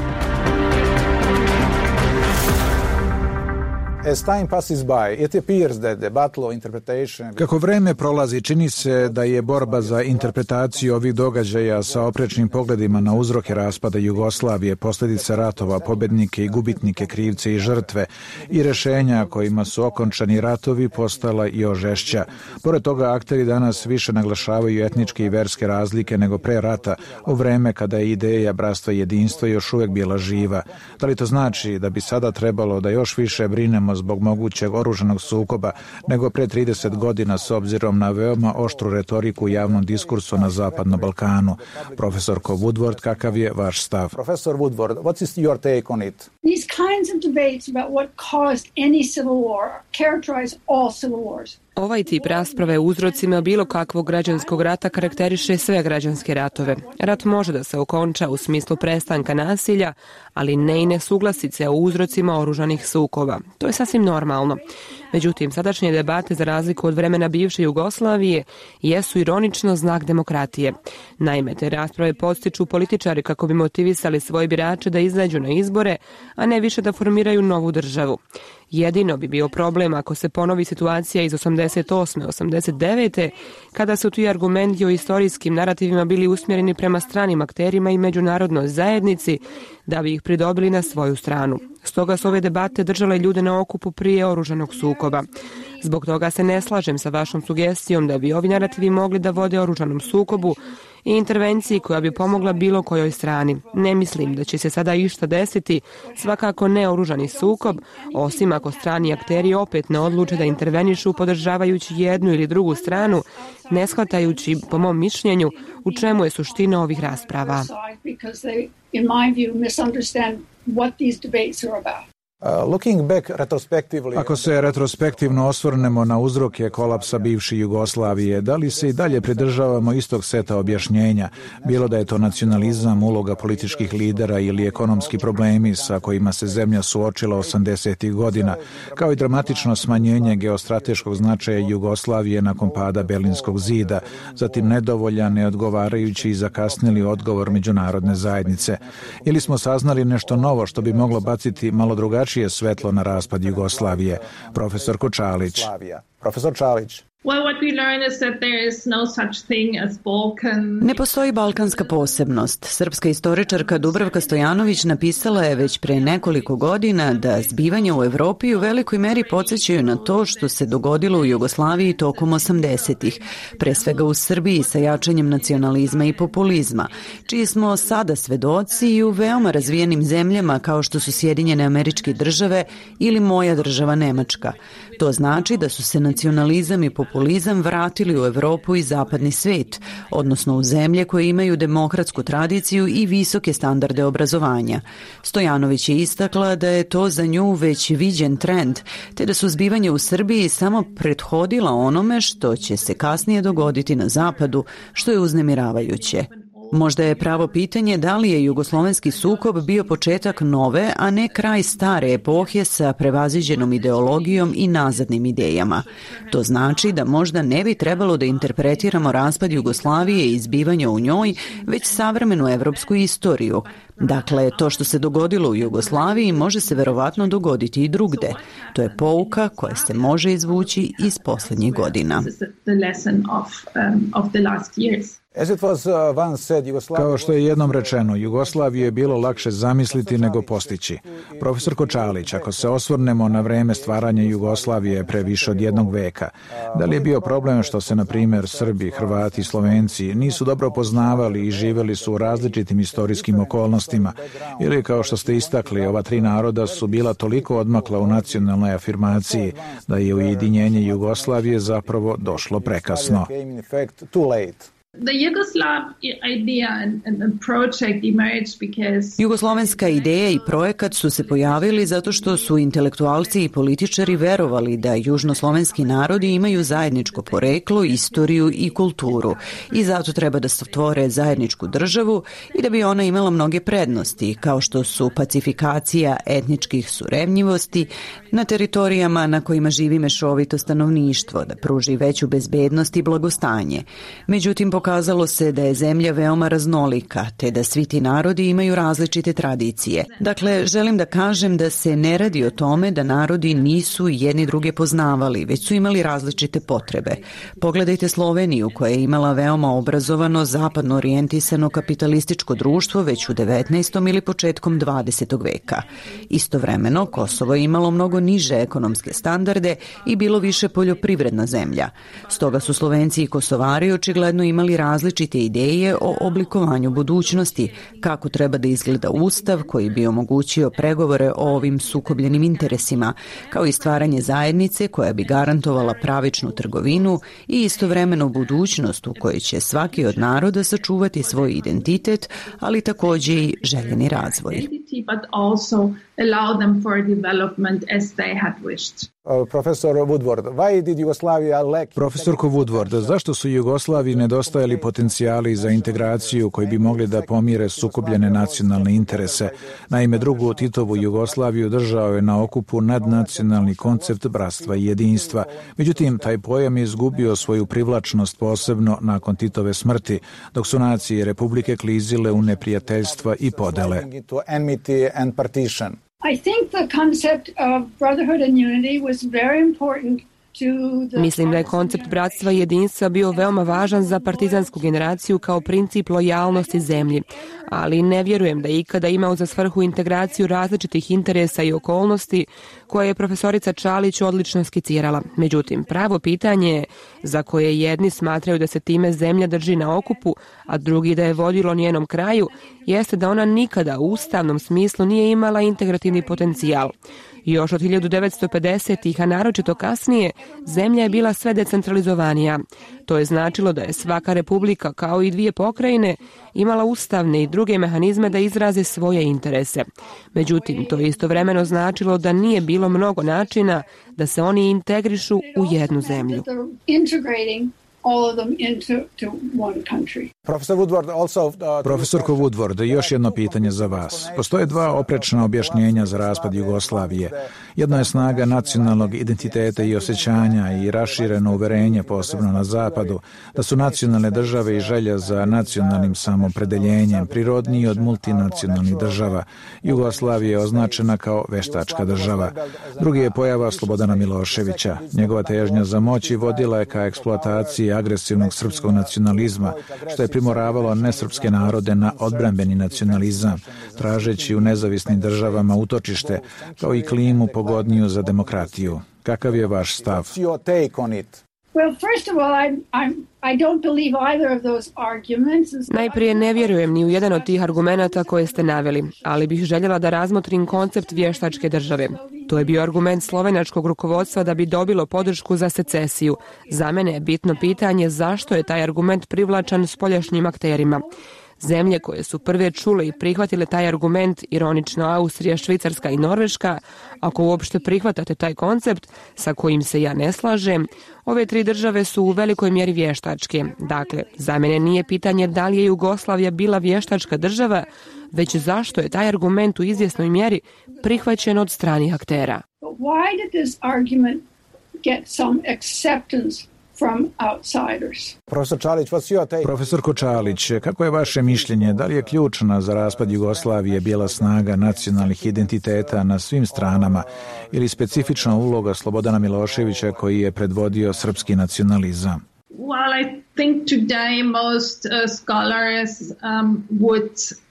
Kako vreme prolazi, čini se da je borba za interpretaciju ovih događaja sa oprečnim pogledima na uzroke raspada Jugoslavije, posljedice ratova, pobednike i gubitnike, krivce i žrtve i rješenja kojima su okončani ratovi postala još žešća. Pored toga, akteri danas više naglašavaju etničke i verske razlike nego pre rata, u vreme kada je ideja bratstva i jedinstva još uvijek bila živa. Da li to znači da bi sada trebalo da još više brinemo zbog mogućeg oružanog sukoba nego pre 30 godina s obzirom na veoma oštru retoriku u javnom diskursu na Zapadnom Balkanu? Profesorko Woodward, kakav je vaš stav? Professor Woodward, what is your take on it? These kinds of debates about what caused any civil war characterize all civil wars. Ovaj tip rasprave o uzrocima bilo kakvog građanskog rata karakteriše sve građanske ratove. Rat može da se okonča u smislu prestanka nasilja, ali ne i nesuglasice o uzrocima oružanih sukoba. To je sasvim normalno. Međutim, sadašnje debate, za razliku od vremena bivše Jugoslavije, jesu ironično znak demokratije. Naime, te rasprave podstiču političari kako bi motivisali svoje birače da izađu na izbore, a ne više da formiraju novu državu. Jedino bi bio problem ako se ponovi situacija iz 88. 89. kada su ti argumenti o istorijskim narativima bili usmjereni prema stranim akterima i međunarodnoj zajednici da bi ih pridobili na svoju stranu. Stoga su ove debate držale ljude na okupu prije oružanog sukoba. Zbog toga se ne slažem sa vašom sugestijom da bi ovi narativi mogli da vode oružanom sukobu i intervenciji koja bi pomogla bilo kojoj strani. Ne mislim da će se sada išta desiti, svakako ne oružani sukob, osim ako strani akteri opet ne odluče da intervenišu podržavajući jednu ili drugu stranu, ne shvatajući, po mom mišljenju, u čemu je suština ovih rasprava. Ako se retrospektivno osvrnemo na uzroke kolapsa bivše Jugoslavije, da li se i dalje pridržavamo istog seta objašnjenja, bilo da je to nacionalizam, uloga političkih lidera ili ekonomski problemi sa kojima se zemlja suočila 80. godina, kao i dramatično smanjenje geostrateškog značaja Jugoslavije nakon pada Berlinskog zida, zatim nedovoljan, neodgovarajući i zakasnili odgovor međunarodne zajednice. Ili smo saznali nešto novo što bi moglo baciti malo drugačije svetlo na raspad Jugoslavije. Profesor Čalić. Ne postoji balkanska posebnost. Srpska istoričarka Dubravka Stojanović napisala je već pre nekoliko godina da zbivanja u Evropi u velikoj meri podsjećaju na to što se dogodilo u Jugoslaviji tokom 80-ih, pre svega u Srbiji sa jačanjem nacionalizma i populizma, čiji smo sada svedoci i u veoma razvijenim zemljama kao što su Sjedinjene Američke Države ili moja država Nemačka. To znači da su se nacionalizam i populizam vratili u Evropu i zapadni svet, odnosno u zemlje koje imaju demokratsku tradiciju i visoke standarde obrazovanja. Stojanović je istakla da je to za nju već viđen trend, te da su zbivanja u Srbiji samo prethodila onome što će se kasnije dogoditi na zapadu, što je uznemiravajuće. Možda je pravo pitanje da li je jugoslovenski sukob bio početak nove, a ne kraj stare epohe sa prevaziđenom ideologijom i nazadnim idejama. To znači da možda ne bi trebalo da interpretiramo raspad Jugoslavije i zbivanja u njoj, već savremenu evropsku istoriju. Dakle, to što se dogodilo u Jugoslaviji može se verovatno dogoditi i drugde. To je pouka koja se može izvući iz poslednjih godina. Kao što je jednom rečeno, Jugoslaviju je bilo lakše zamisliti nego postići. Profesor Čalić, ako se osvrnemo na vreme stvaranja Jugoslavije pre više od jednog veka, da li je bio problem što se, na primjer, Srbi, Hrvati i Slovenci nisu dobro poznavali i živeli su u različitim istorijskim okolnostima, ili kao što ste istakli, ova tri naroda su bila toliko odmakla u nacionalnoj afirmaciji da je ujedinjenje Jugoslavije zapravo došlo prekasno. Jugoslovenska ideja i projekat su se pojavili zato što su intelektualci i političari verovali da južnoslovenski narodi imaju zajedničko poreklo, istoriju i kulturu i zato treba da stvore zajedničku državu i da bi ona imala mnoge prednosti, kao što su pacifikacija etničkih surevnjivosti na teritorijama na kojima živi mešovito stanovništvo, da pruži veću bezbednost i blagostanje. Međutim, pokazalo se da je zemlja veoma raznolika, te da svi ti narodi imaju različite tradicije. Dakle, želim da kažem da se ne radi o tome da narodi nisu jedni druge poznavali, već su imali različite potrebe. Pogledajte Sloveniju, koja je imala veoma obrazovano, zapadno orijentisano kapitalističko društvo već u 19. ili početkom 20. veka. Istovremeno, Kosovo je imalo mnogo niže ekonomske standarde i bilo više poljoprivredna zemlja. Stoga su Slovenci i Kosovari očigledno imali različite ideje o oblikovanju budućnosti, kako treba da izgleda ustav koji bi omogućio pregovore o ovim sukobljenim interesima, kao i stvaranje zajednice koja bi garantovala pravičnu trgovinu i istovremeno budućnost u kojoj će svaki od naroda sačuvati svoj identitet, ali takođe i željeni razvoj. Profesorko Woodward, zašto su Jugoslaviji nedostajali potencijali za integraciju koji bi mogli da pomire sukobljene nacionalne interese? Naime, drugu Titovu Jugoslaviju držao je na okupu nadnacionalni koncept bratstva i jedinstva. Međutim, taj pojam je izgubio svoju privlačnost posebno nakon Titove smrti, dok su nacije i republike klizile u neprijateljstva i podele. I think the concept of brotherhood and unity was very important. Mislim da je koncept bratstva i jedinstva bio veoma važan za partizansku generaciju kao princip lojalnosti zemlji, ali ne vjerujem da je ikada imao za svrhu integraciju različitih interesa i okolnosti koje je profesorica Čalić odlično skicirala. Međutim, pravo pitanje je za koje jedni smatraju da se time zemlja drži na okupu, a drugi da je vodilo njenom kraju, jeste da ona nikada u ustavnom smislu nije imala integrativni potencijal. Još od 1950-ih, a naročito kasnije, zemlja je bila sve decentralizovanija. To je značilo da je svaka republika, kao i dvije pokrajine, imala ustavne i druge mehanizme da izraze svoje interese. Međutim, to je istovremeno značilo da nije bilo mnogo načina da se oni integrišu u jednu zemlju. Profesorko Woodward, još jedno pitanje za vas. Postoje dva oprečna objašnjenja za raspad Jugoslavije. Jedno je snaga nacionalnog identiteta i osjećanja i rašireno uverenje, posebno na zapadu, da su nacionalne države i želja za nacionalnim samopredeljenjem prirodniji od multinacionalnih država. Jugoslavija je označena kao veštačka država. Drugi je pojava Slobodana Miloševića. Njegova težnja za moći vodila je ka eksploataciji agresivnog srpskog nacionalizma, što je primoravalo nesrpske narode na odbrambeni nacionalizam, tražeći u nezavisnim državama utočište, kao i klimu pogodniju za demokratiju. Kakav je vaš stav? Najprije ne vjerujem ni u jedan od tih argumenata koje ste naveli, ali bih željela da razmotrim koncept vještačke države. To je bio argument slovenačkog rukovodstva da bi dobilo podršku za secesiju. Za mene je bitno pitanje zašto je taj argument privlačan spoljašnjim akterima. Zemlje koje su prve čule i prihvatile taj argument, ironično Austrija, Švicarska i Norveška, ako uopšte prihvatate taj koncept sa kojim se ja ne slažem, ove tri države su u velikoj mjeri vještačke. Dakle, za mene nije pitanje da li je Jugoslavija bila vještačka država, već zašto je taj argument u izvjesnoj mjeri prihvaćen od stranih aktera. Why did this argument get some acceptance from outsiders? Profesorko Čalić, kako je vaše mišljenje? Da li je ključna za raspad Jugoslavije bijela snaga nacionalnih identiteta na svim stranama ili specifična uloga Slobodana Miloševića koji je predvodio srpski nacionalizam? Well, I think today most scholars would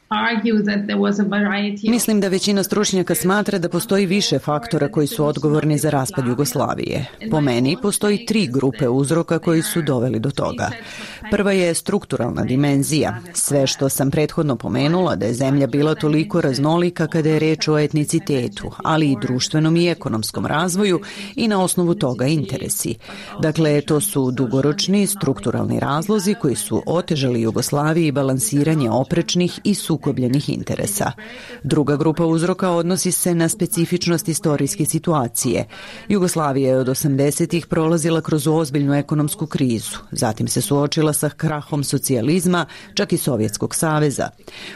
Mislim da većina stručnjaka smatra da postoji više faktora koji su odgovorni za raspad Jugoslavije. Po meni postoji 3 grupe uzroka koji su doveli do toga. Prva je strukturalna dimenzija. Sve što sam prethodno pomenula da je zemlja bila toliko raznolika kada je reč o etnicitetu, ali i društvenom i ekonomskom razvoju i na osnovu toga interesi. Dakle, to su dugoročni strukturalni razlozi koji su otežali Jugoslaviji balansiranje oprečnih i sukobljenih interesa. Druga grupa uzroka odnosi se na specifičnost istorijske situacije. Jugoslavija je od 80-ih prolazila kroz ozbiljnu ekonomsku krizu. Zatim se suočila sa krahom socijalizma, čak i Sovjetskog saveza.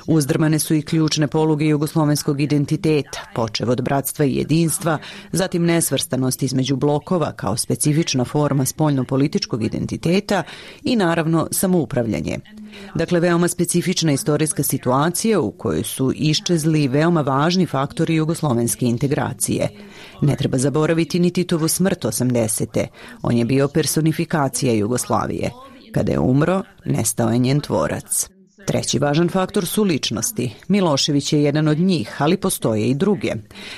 Uzdrmane su i ključne poluge jugoslovenskog identiteta, počev od bratstva i jedinstva, zatim nesvrstanost između blokova kao specifična forma spoljno-političkog identiteta i naravno samoupravljanje. Dakle, veoma specifična istorijska situacija u kojoj su iščezli veoma važni faktori jugoslovenske integracije. Ne treba zaboraviti ni Titovu smrt 80. On je bio personifikacija Jugoslavije. Kada je umro, nestao je njen tvorac. Treći važan faktor su ličnosti. Milošević je jedan od njih, ali postoje i druge.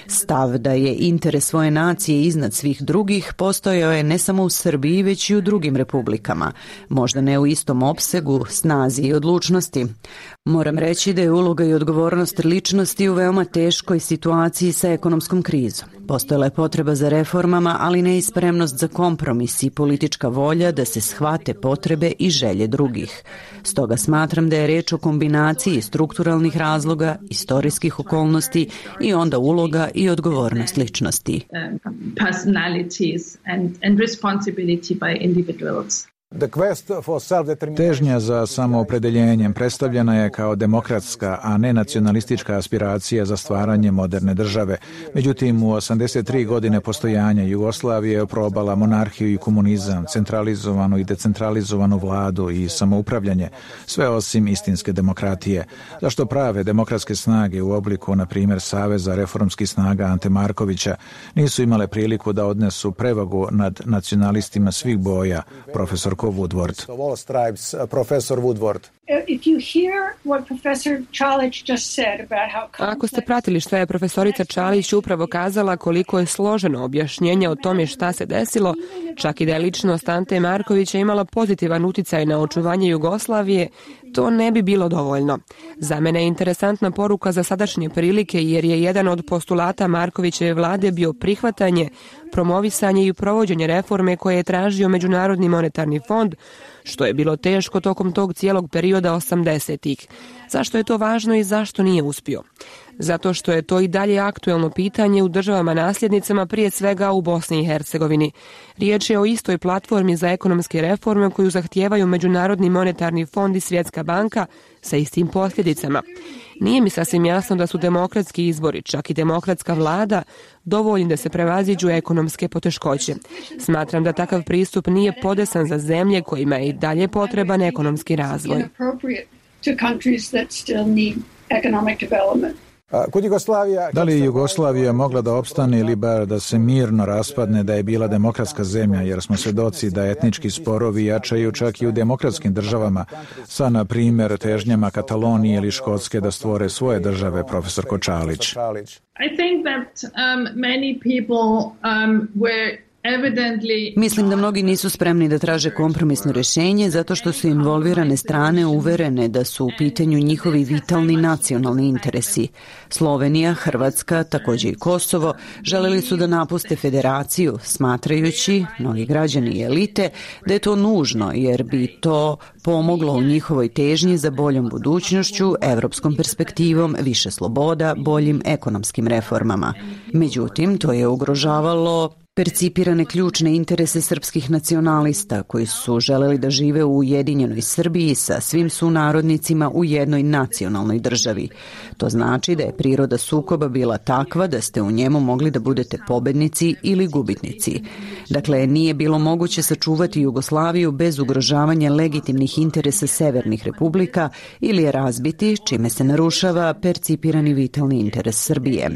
Stav da je interes svoje nacije iznad svih drugih postojao je ne samo u Srbiji, već i u drugim republikama. Možda ne u istom opsegu, snazi i odlučnosti. Moram reći da je uloga i odgovornost ličnosti u veoma teškoj situaciji sa ekonomskom krizom. Postojala je potreba za reformama, ali ne i spremnost za kompromis i politička volja da se shvate potrebe i želje drugih. Stoga smatram da je reč o kombinaciji strukturalnih razloga, istorijskih okolnosti i onda uloga i odgovornost ličnosti. Težnja za samoopredeljenjem predstavljena je kao demokratska, a ne nacionalistička aspiracija za stvaranje moderne države. Međutim, u 83 godine postojanja Jugoslavije je oprobala monarhiju i komunizam, centralizovanu i decentralizovanu vladu i samoupravljanje, sve osim istinske demokratije. Zašto prave demokratske snage u obliku, na primjer, Saveza reformskih snaga Ante Markovića, nisu imale priliku da odnesu prevagu nad nacionalistima svih boja, profesor Woodward. Ako ste pratili što je profesorica Čalić upravo kazala koliko je složeno objašnjenje o tome šta se desilo, Čak i da je ličnost Ante Markovića imala pozitivan uticaj na očuvanje Jugoslavije, to ne bi bilo dovoljno. Za mene je interesantna poruka za sadašnje prilike jer je jedan od postulata Markovićeve vlade bio prihvatanje, promovisanje i provođenje reforme koje je tražio Međunarodni monetarni fond, što je bilo teško tokom tog cijelog perioda 80-ih. Zašto je to važno i zašto nije uspio? Zato što je to i dalje aktuelno pitanje u državama nasljednicama, prije svega u Bosni i Hercegovini. Riječ je o istoj platformi za ekonomske reforme koju zahtijevaju Međunarodni monetarni fond i Svjetska banka sa istim posljedicama. Nije mi sasvim jasno da su demokratski izbori, čak i demokratska vlada, dovoljni da se prevaziđu ekonomske poteškoće. Smatram da takav pristup nije podesan za zemlje kojima je i dalje potreban ekonomski razvoj. Da li je Jugoslavija mogla da opstane ili bar da se mirno raspadne da je bila demokratska zemlja, jer smo svedoci da etnički sporovi jačaju čak i u demokratskim državama, sa, na primjer, težnjama Katalonije ili Škotske da stvore svoje države, profesorko Čalić? I think that many people were Mislim da mnogi nisu spremni da traže kompromisno rješenje zato što su involvirane strane uverene da su u pitanju njihovi vitalni nacionalni interesi. Slovenija, Hrvatska, također i Kosovo želeli su da napuste federaciju, smatrajući, mnogi građani i elite, da je to nužno jer bi to pomoglo u njihovoj težnji za boljom budućnošću, evropskom perspektivom, više sloboda, boljim ekonomskim reformama. Međutim, to je ugrožavalo percipirane ključne interese srpskih nacionalista koji su želeli da žive u ujedinjenoj Srbiji sa svim sunarodnicima u jednoj nacionalnoj državi. To znači da je priroda sukoba bila takva da ste u njemu mogli da budete pobednici ili gubitnici. Dakle, nije bilo moguće sačuvati Jugoslaviju bez ugrožavanja legitimnih interesa severnih republika ili je razbiti, čime se narušava percipirani vitalni interes Srbije.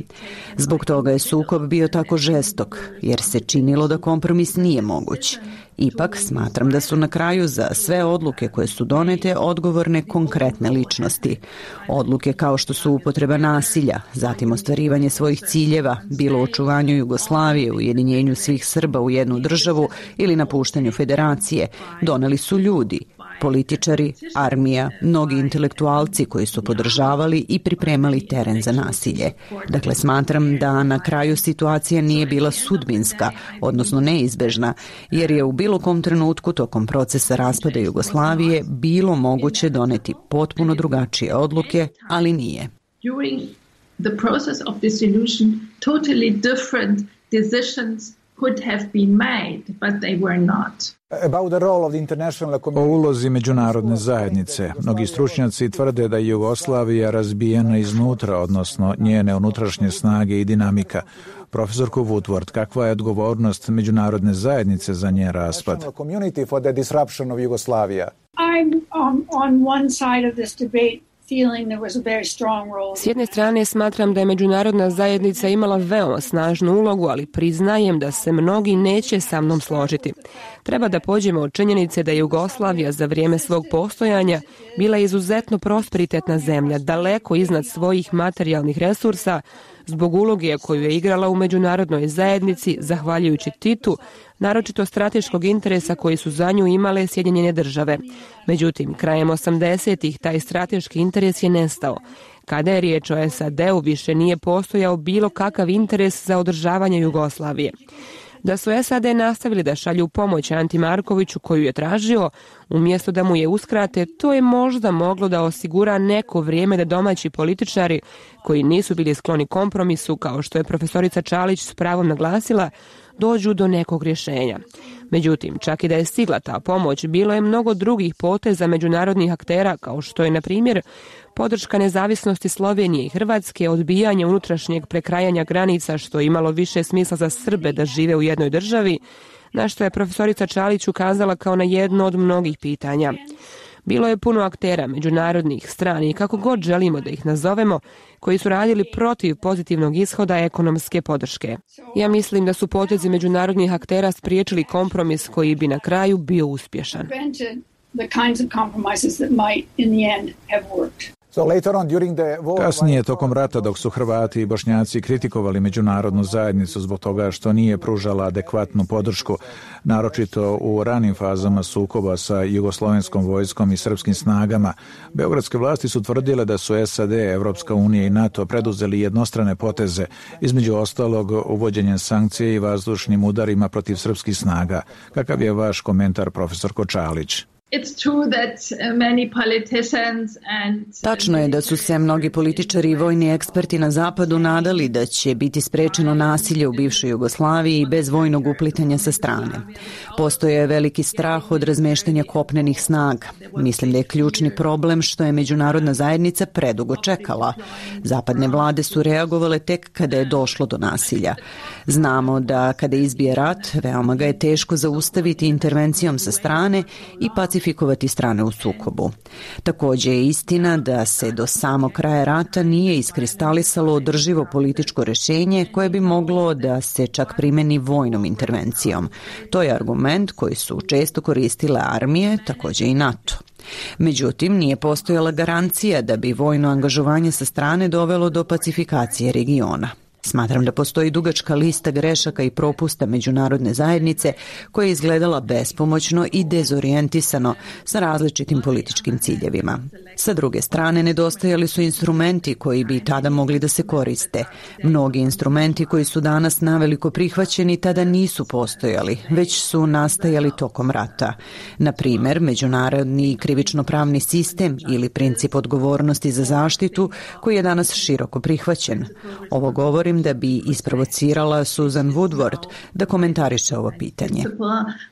Zbog toga je sukob bio tako žestok, jer se činilo da kompromis nije moguć. Ipak, smatram da su na kraju za sve odluke koje su donete odgovorne konkretne ličnosti. Odluke kao što su upotreba nasilja, zatim ostvarivanje svojih ciljeva, bilo u očuvanju Jugoslavije, ujedinjenju svih Srba u jednu državu ili napuštanju federacije, doneli su ljudi, političari, armija, mnogi intelektualci koji su podržavali i pripremali teren za nasilje. Dakle, smatram da na kraju situacija nije bila sudbinska, odnosno neizbežna, jer je u bilo kom trenutku tokom procesa raspada Jugoslavije bilo moguće doneti potpuno drugačije odluke, ali nije. During the process of dissolution, totally different decisions could have been made, but they were not. O ulozi međunarodne zajednice. Mnogi stručnjaci tvrde da je Jugoslavija razbijena iznutra, odnosno njene unutrašnje snage i dinamika. Profesorko Woodward, kakva je odgovornost međunarodne zajednice za njen raspad? I'm on one side of this debate. S jedne strane smatram da je međunarodna zajednica imala veoma snažnu ulogu, ali priznajem da se mnogi neće sa mnom složiti. Treba da pođemo od činjenice da je Jugoslavija za vrijeme svog postojanja bila izuzetno prosperitetna zemlja, daleko iznad svojih materijalnih resursa, zbog uloge koju je igrala u međunarodnoj zajednici, zahvaljujući Titu, naročito strateškog interesa koji su za nju imale Sjedinjene države. Međutim, krajem 80-ih taj strateški interes je nestao. Kada je riječ o SAD-u, više nije postojao bilo kakav interes za održavanje Jugoslavije. Da su SAD nastavili da šalju pomoć Anti Markoviću koju je tražio, umjesto da mu je uskrate, to je možda moglo da osigura neko vrijeme da domaći političari, koji nisu bili skloni kompromisu, kao što je profesorica Čalić s pravom naglasila, dođu do nekog rješenja. Međutim, čak i da je stigla ta pomoć, bilo je mnogo drugih poteza međunarodnih aktera, kao što je, na primjer, podrška nezavisnosti Slovenije i Hrvatske, odbijanje unutrašnjeg prekrajanja granica, što je imalo više smisla za Srbe da žive u jednoj državi, na što je profesorica Čalić ukazala kao na jedno od mnogih pitanja. Bilo je puno aktera, međunarodnih, stranih, kako god želimo da ih nazovemo, koji su radili protiv pozitivnog ishoda ekonomske podrške. Ja mislim da su potezi međunarodnih aktera spriječili kompromis koji bi na kraju bio uspješan. Kasnije, tokom rata, dok su Hrvati i Bošnjaci kritikovali međunarodnu zajednicu zbog toga što nije pružala adekvatnu podršku, naročito u ranim fazama sukoba sa jugoslovenskom vojskom i srpskim snagama, beogradske vlasti su tvrdile da su SAD, Evropska unija i NATO preduzeli jednostrane poteze, između ostalog uvođenjem sankcije i vazdušnim udarima protiv srpskih snaga. Kakav je vaš komentar, profesor Kočalić? Tačno je da su se mnogi političari i vojni eksperti na zapadu nadali da će biti sprečeno nasilje u bivšoj Jugoslaviji bez vojnog uplitanja sa strane. Postoje veliki strah od razmeštanja kopnenih snaga. Mislim da je ključni problem što je međunarodna zajednica predugo čekala. Zapadne vlade su reagovale tek kada je došlo do nasilja. Znamo da kada izbije rat, veoma ga je teško zaustaviti intervencijom sa strane i pacifikovati strane u sukobu. Također je istina da se do samog kraja rata nije iskristalisalo održivo političko rješenje koje bi moglo da se čak primeni vojnom intervencijom. To je argument koji su često koristile armije, također i NATO. Međutim, nije postojala garancija da bi vojno angažovanje sa strane dovelo do pacifikacije regiona. Smatram da postoji dugačka lista grešaka i propusta međunarodne zajednice koja je izgledala bespomoćno i dezorijentisano sa različitim političkim ciljevima. Sa druge strane, nedostajali su instrumenti koji bi tada mogli da se koriste. Mnogi instrumenti koji su danas naveliko prihvaćeni tada nisu postojali, već su nastajali tokom rata. Na primjer, međunarodni krivično-pravni sistem ili princip odgovornosti za zaštitu koji je danas široko prihvaćen. Ovo govorim da bi isprovocirala Susan Woodward da komentariše ovo pitanje.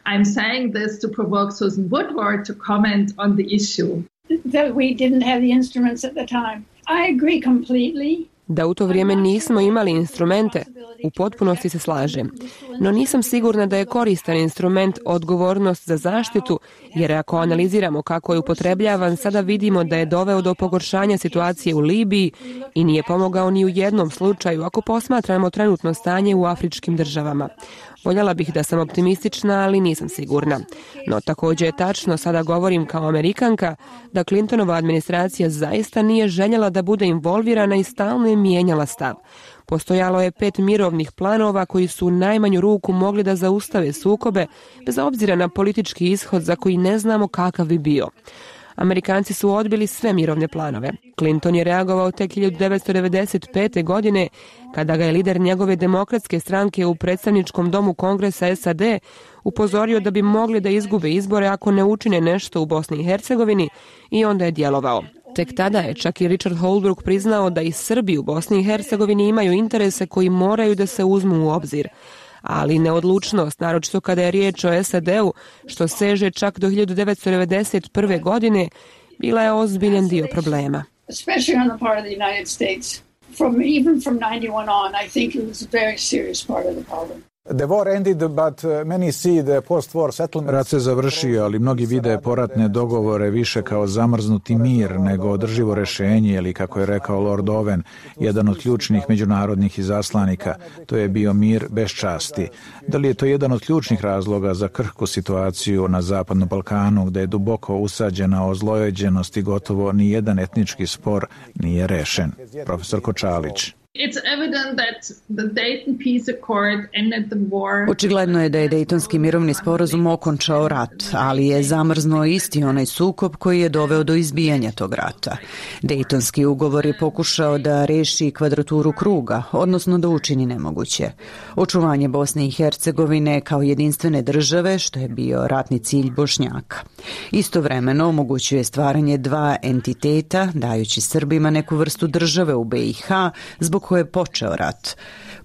I'm saying this to provoke Susan Woodward to comment on the issue. That we didn't have the instruments at the time. I agree completely. Da u to vrijeme nismo imali instrumente, u potpunosti se slažem. No nisam sigurna da je koristan instrument odgovornost za zaštitu, jer ako analiziramo kako je upotrebljavan, sada vidimo da je doveo do pogoršanja situacije u Libiji i nije pomogao ni u jednom slučaju ako posmatramo trenutno stanje u afričkim državama. Voljela bih da sam optimistična, ali nisam sigurna. No također je tačno, sada govorim kao Amerikanka, da Clintonova administracija zaista nije željela da bude involvirana i stalno je mijenjala stav. Postojalo je 5 mirovnih planova koji su u najmanju ruku mogli da zaustave sukobe, bez obzira na politički ishod za koji ne znamo kakav bi bio. Amerikanci su odbili sve mirovne planove. Clinton je reagovao tek 1995. godine, kada ga je lider njegove demokratske stranke u predstavničkom domu Kongresa SAD upozorio da bi mogli da izgube izbore ako ne učine nešto u Bosni i Hercegovini, i onda je djelovao. Tek tada je čak i Richard Holbrooke priznao da i Srbi u Bosni i Hercegovini imaju interese koji moraju da se uzmu u obzir. Ali neodlučnost, naročito kada je riječ o SAD-u, što seže čak do 1991. godine, bila je ozbiljan dio problema. Especially on the part of the United States. Even from 91 on, I think it was a very serious part of the problem. Rat se završio, ali mnogi vide poratne dogovore više kao zamrznuti mir nego održivo rješenje, ili kako je rekao Lord Owen, jedan od ključnih međunarodnih izaslanika, to je bio mir bez časti. Da li je to jedan od ključnih razloga za krhku situaciju na Zapadnom Balkanu, gdje je duboko usađena ozlojeđenost i gotovo ni jedan etnički spor nije rešen? Profesor Kočalić. Očigledno je da je Dejtonski mirovni sporazum okončao rat, ali je zamrznuo isti onaj sukob koji je doveo do izbijanja tog rata. Dejtonski ugovor je pokušao da reši kvadraturu kruga, odnosno da učini nemoguće. Očuvanje Bosne i Hercegovine kao jedinstvene države, što je bio ratni cilj Bošnjaka. Istovremeno omogućuje stvaranje dva entiteta, dajući Srbima neku vrstu države u BiH, zbog koje je počeo rat.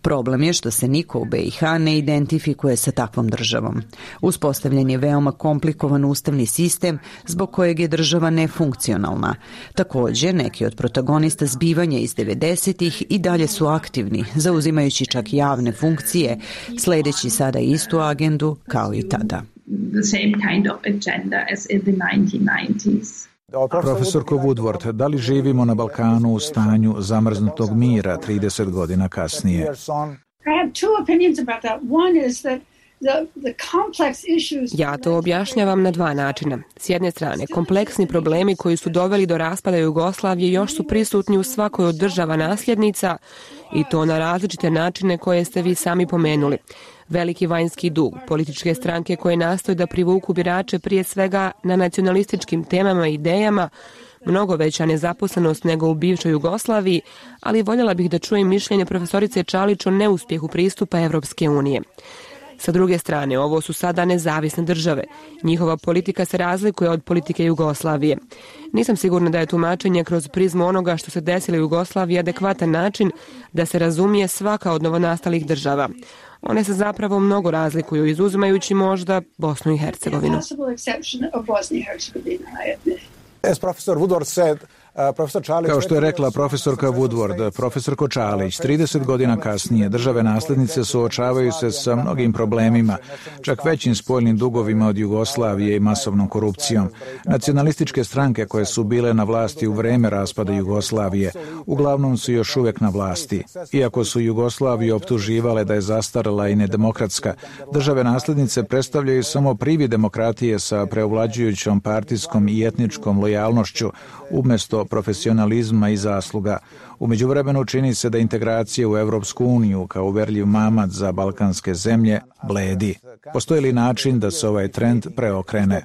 Problem je što se niko u BiH ne identifikuje sa takvom državom. Uspostavljen je veoma komplikovan ustavni sistem zbog kojeg je država nefunkcionalna. Također, neki od protagonista zbivanja iz 90-ih i dalje su aktivni, zauzimajući čak javne funkcije, sledeći sada istu agendu kao i tada. The same kind of agenda as in the 1990s. Profesorko Woodward, da li živimo na Balkanu u stanju zamrznutog mira 30 godina kasnije? I have two opinions about that. One is that Ja to objašnjavam na dva načina. S jedne strane, kompleksni problemi koji su doveli do raspada Jugoslavije još su prisutni u svakoj od država nasljednica i to na različite načine koje ste vi sami pomenuli. Veliki vanjski dug, političke stranke koje nastoje da privuku birače prije svega na nacionalističkim temama i idejama, mnogo veća nezaposlenost nego u bivšoj Jugoslaviji, ali voljela bih da čujem mišljenje profesorice Čalić o neuspjehu pristupa Evropske unije. Sa druge strane, ovo su sada nezavisne države. Njihova politika se razlikuje od politike Jugoslavije. Nisam sigurna da je tumačenje kroz prizmu onoga što se desilo u Jugoslaviji adekvatan način da se razumije svaka od novonastalih država. One se zapravo mnogo razlikuju, izuzimajući možda Bosnu i Hercegovinu. Kao što je rekla profesorka Woodward, profesorko Čalić, 30 godina kasnije države naslednice suočavaju se sa mnogim problemima, čak većim spoljnim dugovima od Jugoslavije i masovnom korupcijom. Nacionalističke stranke koje su bile na vlasti u vreme raspada Jugoslavije uglavnom su još uvijek na vlasti. Iako su Jugoslaviju optuživale da je zastarela i nedemokratska, države naslednice predstavljaju samo privid demokratije sa preovlađujućom partijskom i etničkom lojalnošću umjesto profesionalizma i zasluga. U međuvremenu čini se da integracija u Evropsku uniju kao uverljiv mamac za balkanske zemlje bledi. Postoji li način da se ovaj trend preokrene?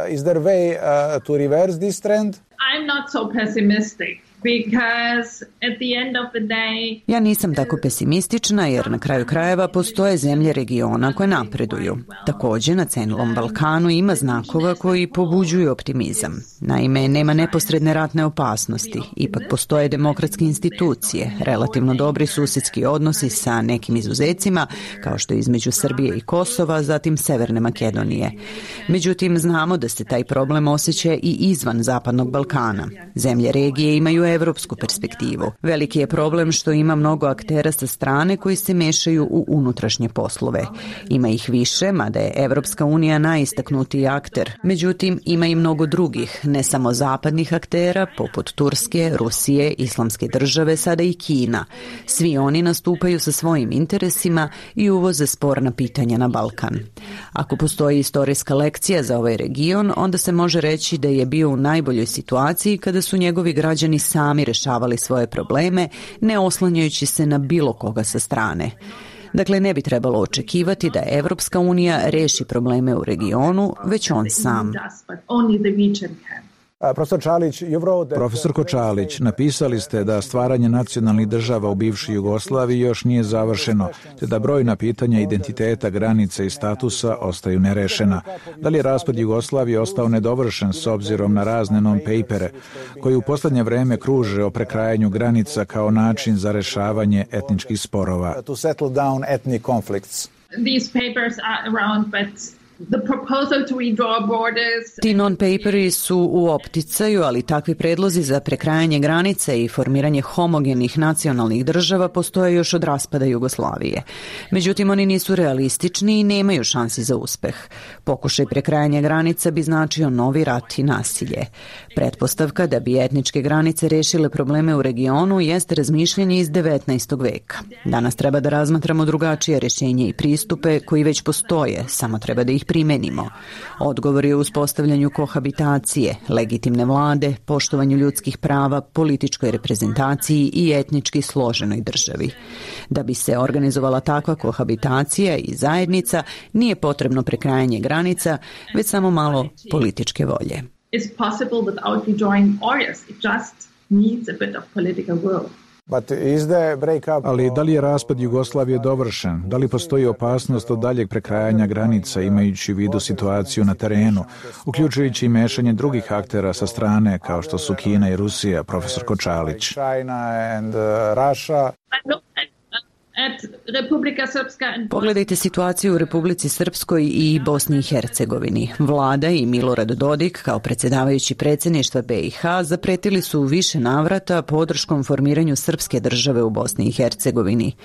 Is there a way to reverse this trend? I'm not so pessimistic. Because at the end of the day... Ja nisam tako pesimistična jer na kraju krajeva postoje zemlje regiona koje napreduju. Također na cenilom Balkanu ima znakova koji pobuđuju optimizam. Naime, nema neposredne ratne opasnosti. Ipak postoje demokratske institucije, relativno dobri susjedski odnosi sa nekim izuzecima, kao što je između Srbije i Kosova, zatim Severne Makedonije. Međutim, znamo da se taj problem osjeća i izvan Zapadnog Balkana. Zemlje regije imaju evropsku perspektivu. Veliki je problem što ima mnogo aktera sa strane koji se mešaju u unutrašnje poslove. Ima ih više, mada je Evropska unija najistaknutiji akter. Međutim, ima i mnogo drugih, ne samo zapadnih aktera, poput Turske, Rusije, Islamske države, sada i Kina. Svi oni nastupaju sa svojim interesima i uvoze sporna pitanja na Balkan. Ako postoji istorijska lekcija za ovaj region, onda se može reći da je bio u najboljoj situaciji kada su njegovi građani sami rešavali svoje probleme, ne oslanjajući se na bilo koga sa strane. Dakle, ne bi trebalo očekivati da Evropska unija reši probleme u regionu, već on sam. Profesorko Čalić, napisali ste da stvaranje nacionalnih država u bivšoj Jugoslaviji još nije završeno, te da brojna pitanja identiteta, granica i statusa ostaju nerešena. Da li je raspad Jugoslavije ostao nedovršen s obzirom na razne non-papere, koji u posljednje vreme kruže o prekrajanju granica kao način za rešavanje etničkih sporova? These papers are around, but the proposal to redraw borders... Ti non-paperi su u opticaju, ali takvi predlozi za prekrajanje granice i formiranje homogenih nacionalnih država postoje još od raspada Jugoslavije. Međutim, oni nisu realistični i nemaju šansi za uspeh. Pokušaj prekrajanja granica bi značio novi rat i nasilje. Pretpostavka da bi etničke granice rešile probleme u regionu jeste razmišljanje iz 19. veka. Danas treba da razmatramo drugačije rješenje i pristupe koji već postoje, samo treba da ih primenimo. Odgovor je u uspostavljanju kohabitacije, legitimne vlade, poštovanju ljudskih prava, političkoj reprezentaciji i etnički složenoj državi. Da bi se organizovala takva kohabitacija i zajednica, nije potrebno prekrajanje granica, već samo malo političke volje. It's possible without redrawing borders. It just needs a bit of political will. Ali da li je raspad Jugoslavije dovršen? Da li postoji opasnost od daljeg prekrajanja granica imajući u vidu situaciju na terenu, uključujući i mešanje drugih aktera sa strane kao što su Kina i Rusija, profesorko Čalić? Pogledajte situaciju u Republici Srpskoj i Bosni i Hercegovini. Vlada i Milorad Dodik, kao predsjedavajući predsjedništva BiH, zapretili su u više navrata podrškom formiranju srpske države u Bosni i Hercegovini.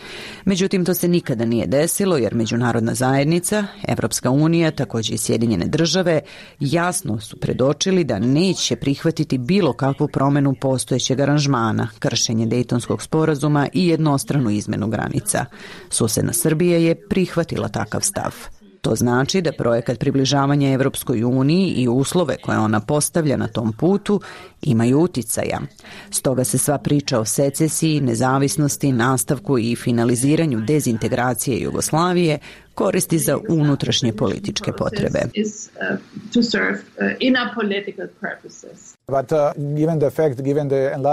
Međutim, to se nikada nije desilo jer međunarodna zajednica, Evropska unija, također i Sjedinjene države, jasno su predočili da neće prihvatiti bilo kakvu promjenu postojećeg aranžmana, kršenje Dejtonskog sporazuma i jednostranu izmenu granica. Susjedna Srbija je prihvatila takav stav. To znači da projekat približavanja Evropskoj uniji i uslove koje ona postavlja na tom putu imaju uticaja. Stoga se sva priča o secesiji, nezavisnosti, nastavku i finaliziranju dezintegracije Jugoslavije koristi za unutrašnje političke potrebe.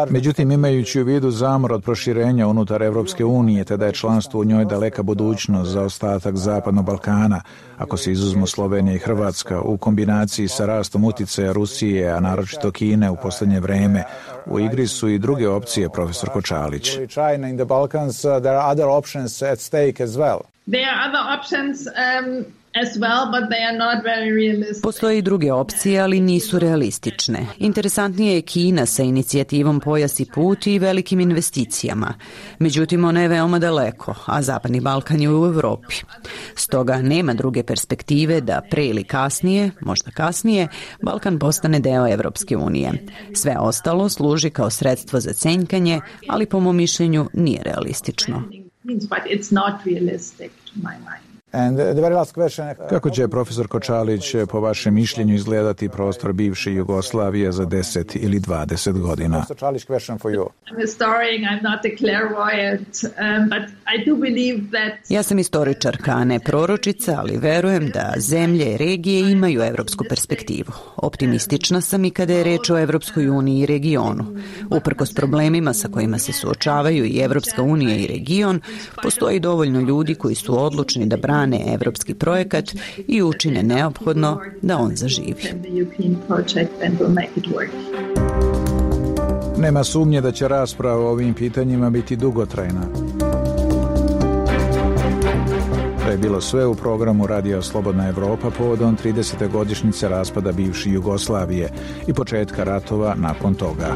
Međutim, imajući u vidu zamor od proširenja unutar Evropske unije, te da je članstvo u njoj daleka budućnost za ostatak Zapadnog Balkana, ako se izuzmu Slovenija i Hrvatska, u kombinaciji sa rastom uticaja Rusije, a naročito Kine u posljednje vreme, u igri su i druge opcije, profesor Kočalić. There are other options as well, but they are not very realistic. Postoje i druge opcije, ali nisu realistične. Interesantnije je Kina sa inicijativom Pojas i put i velikim investicijama. Međutim, ona je veoma daleko, a Zapadni Balkan je u Evropi. Stoga nema druge perspektive da pre ili kasnije, možda kasnije, Balkan postane deo Evropske unije. Sve ostalo služi kao sredstvo za cenjkanje, ali po mom mišljenju nije realistično. But it's not realistic to my mind. Kako će, profesor Kočalić, po vašem mišljenju izgledati prostor bivše Jugoslavije za 10 ili 20 godina? Ja sam istoričarka, a ne proročica, ali verujem da zemlje i regije imaju evropsku perspektivu. Optimistična sam i kada je reč o Evropskoj uniji i regionu. Uprkos problemima sa kojima se suočavaju i Evropska unija i region, postoji dovoljno ljudi koji su odlučni da brane evropski projekat i učine neophodno da on zaživi. Nema sumnje da će rasprava o ovim pitanjima biti dugotrajna. To je bilo sve u programu Radija Slobodna Evropa povodom 30. godišnjice raspada bivše Jugoslavije i početka ratova nakon toga.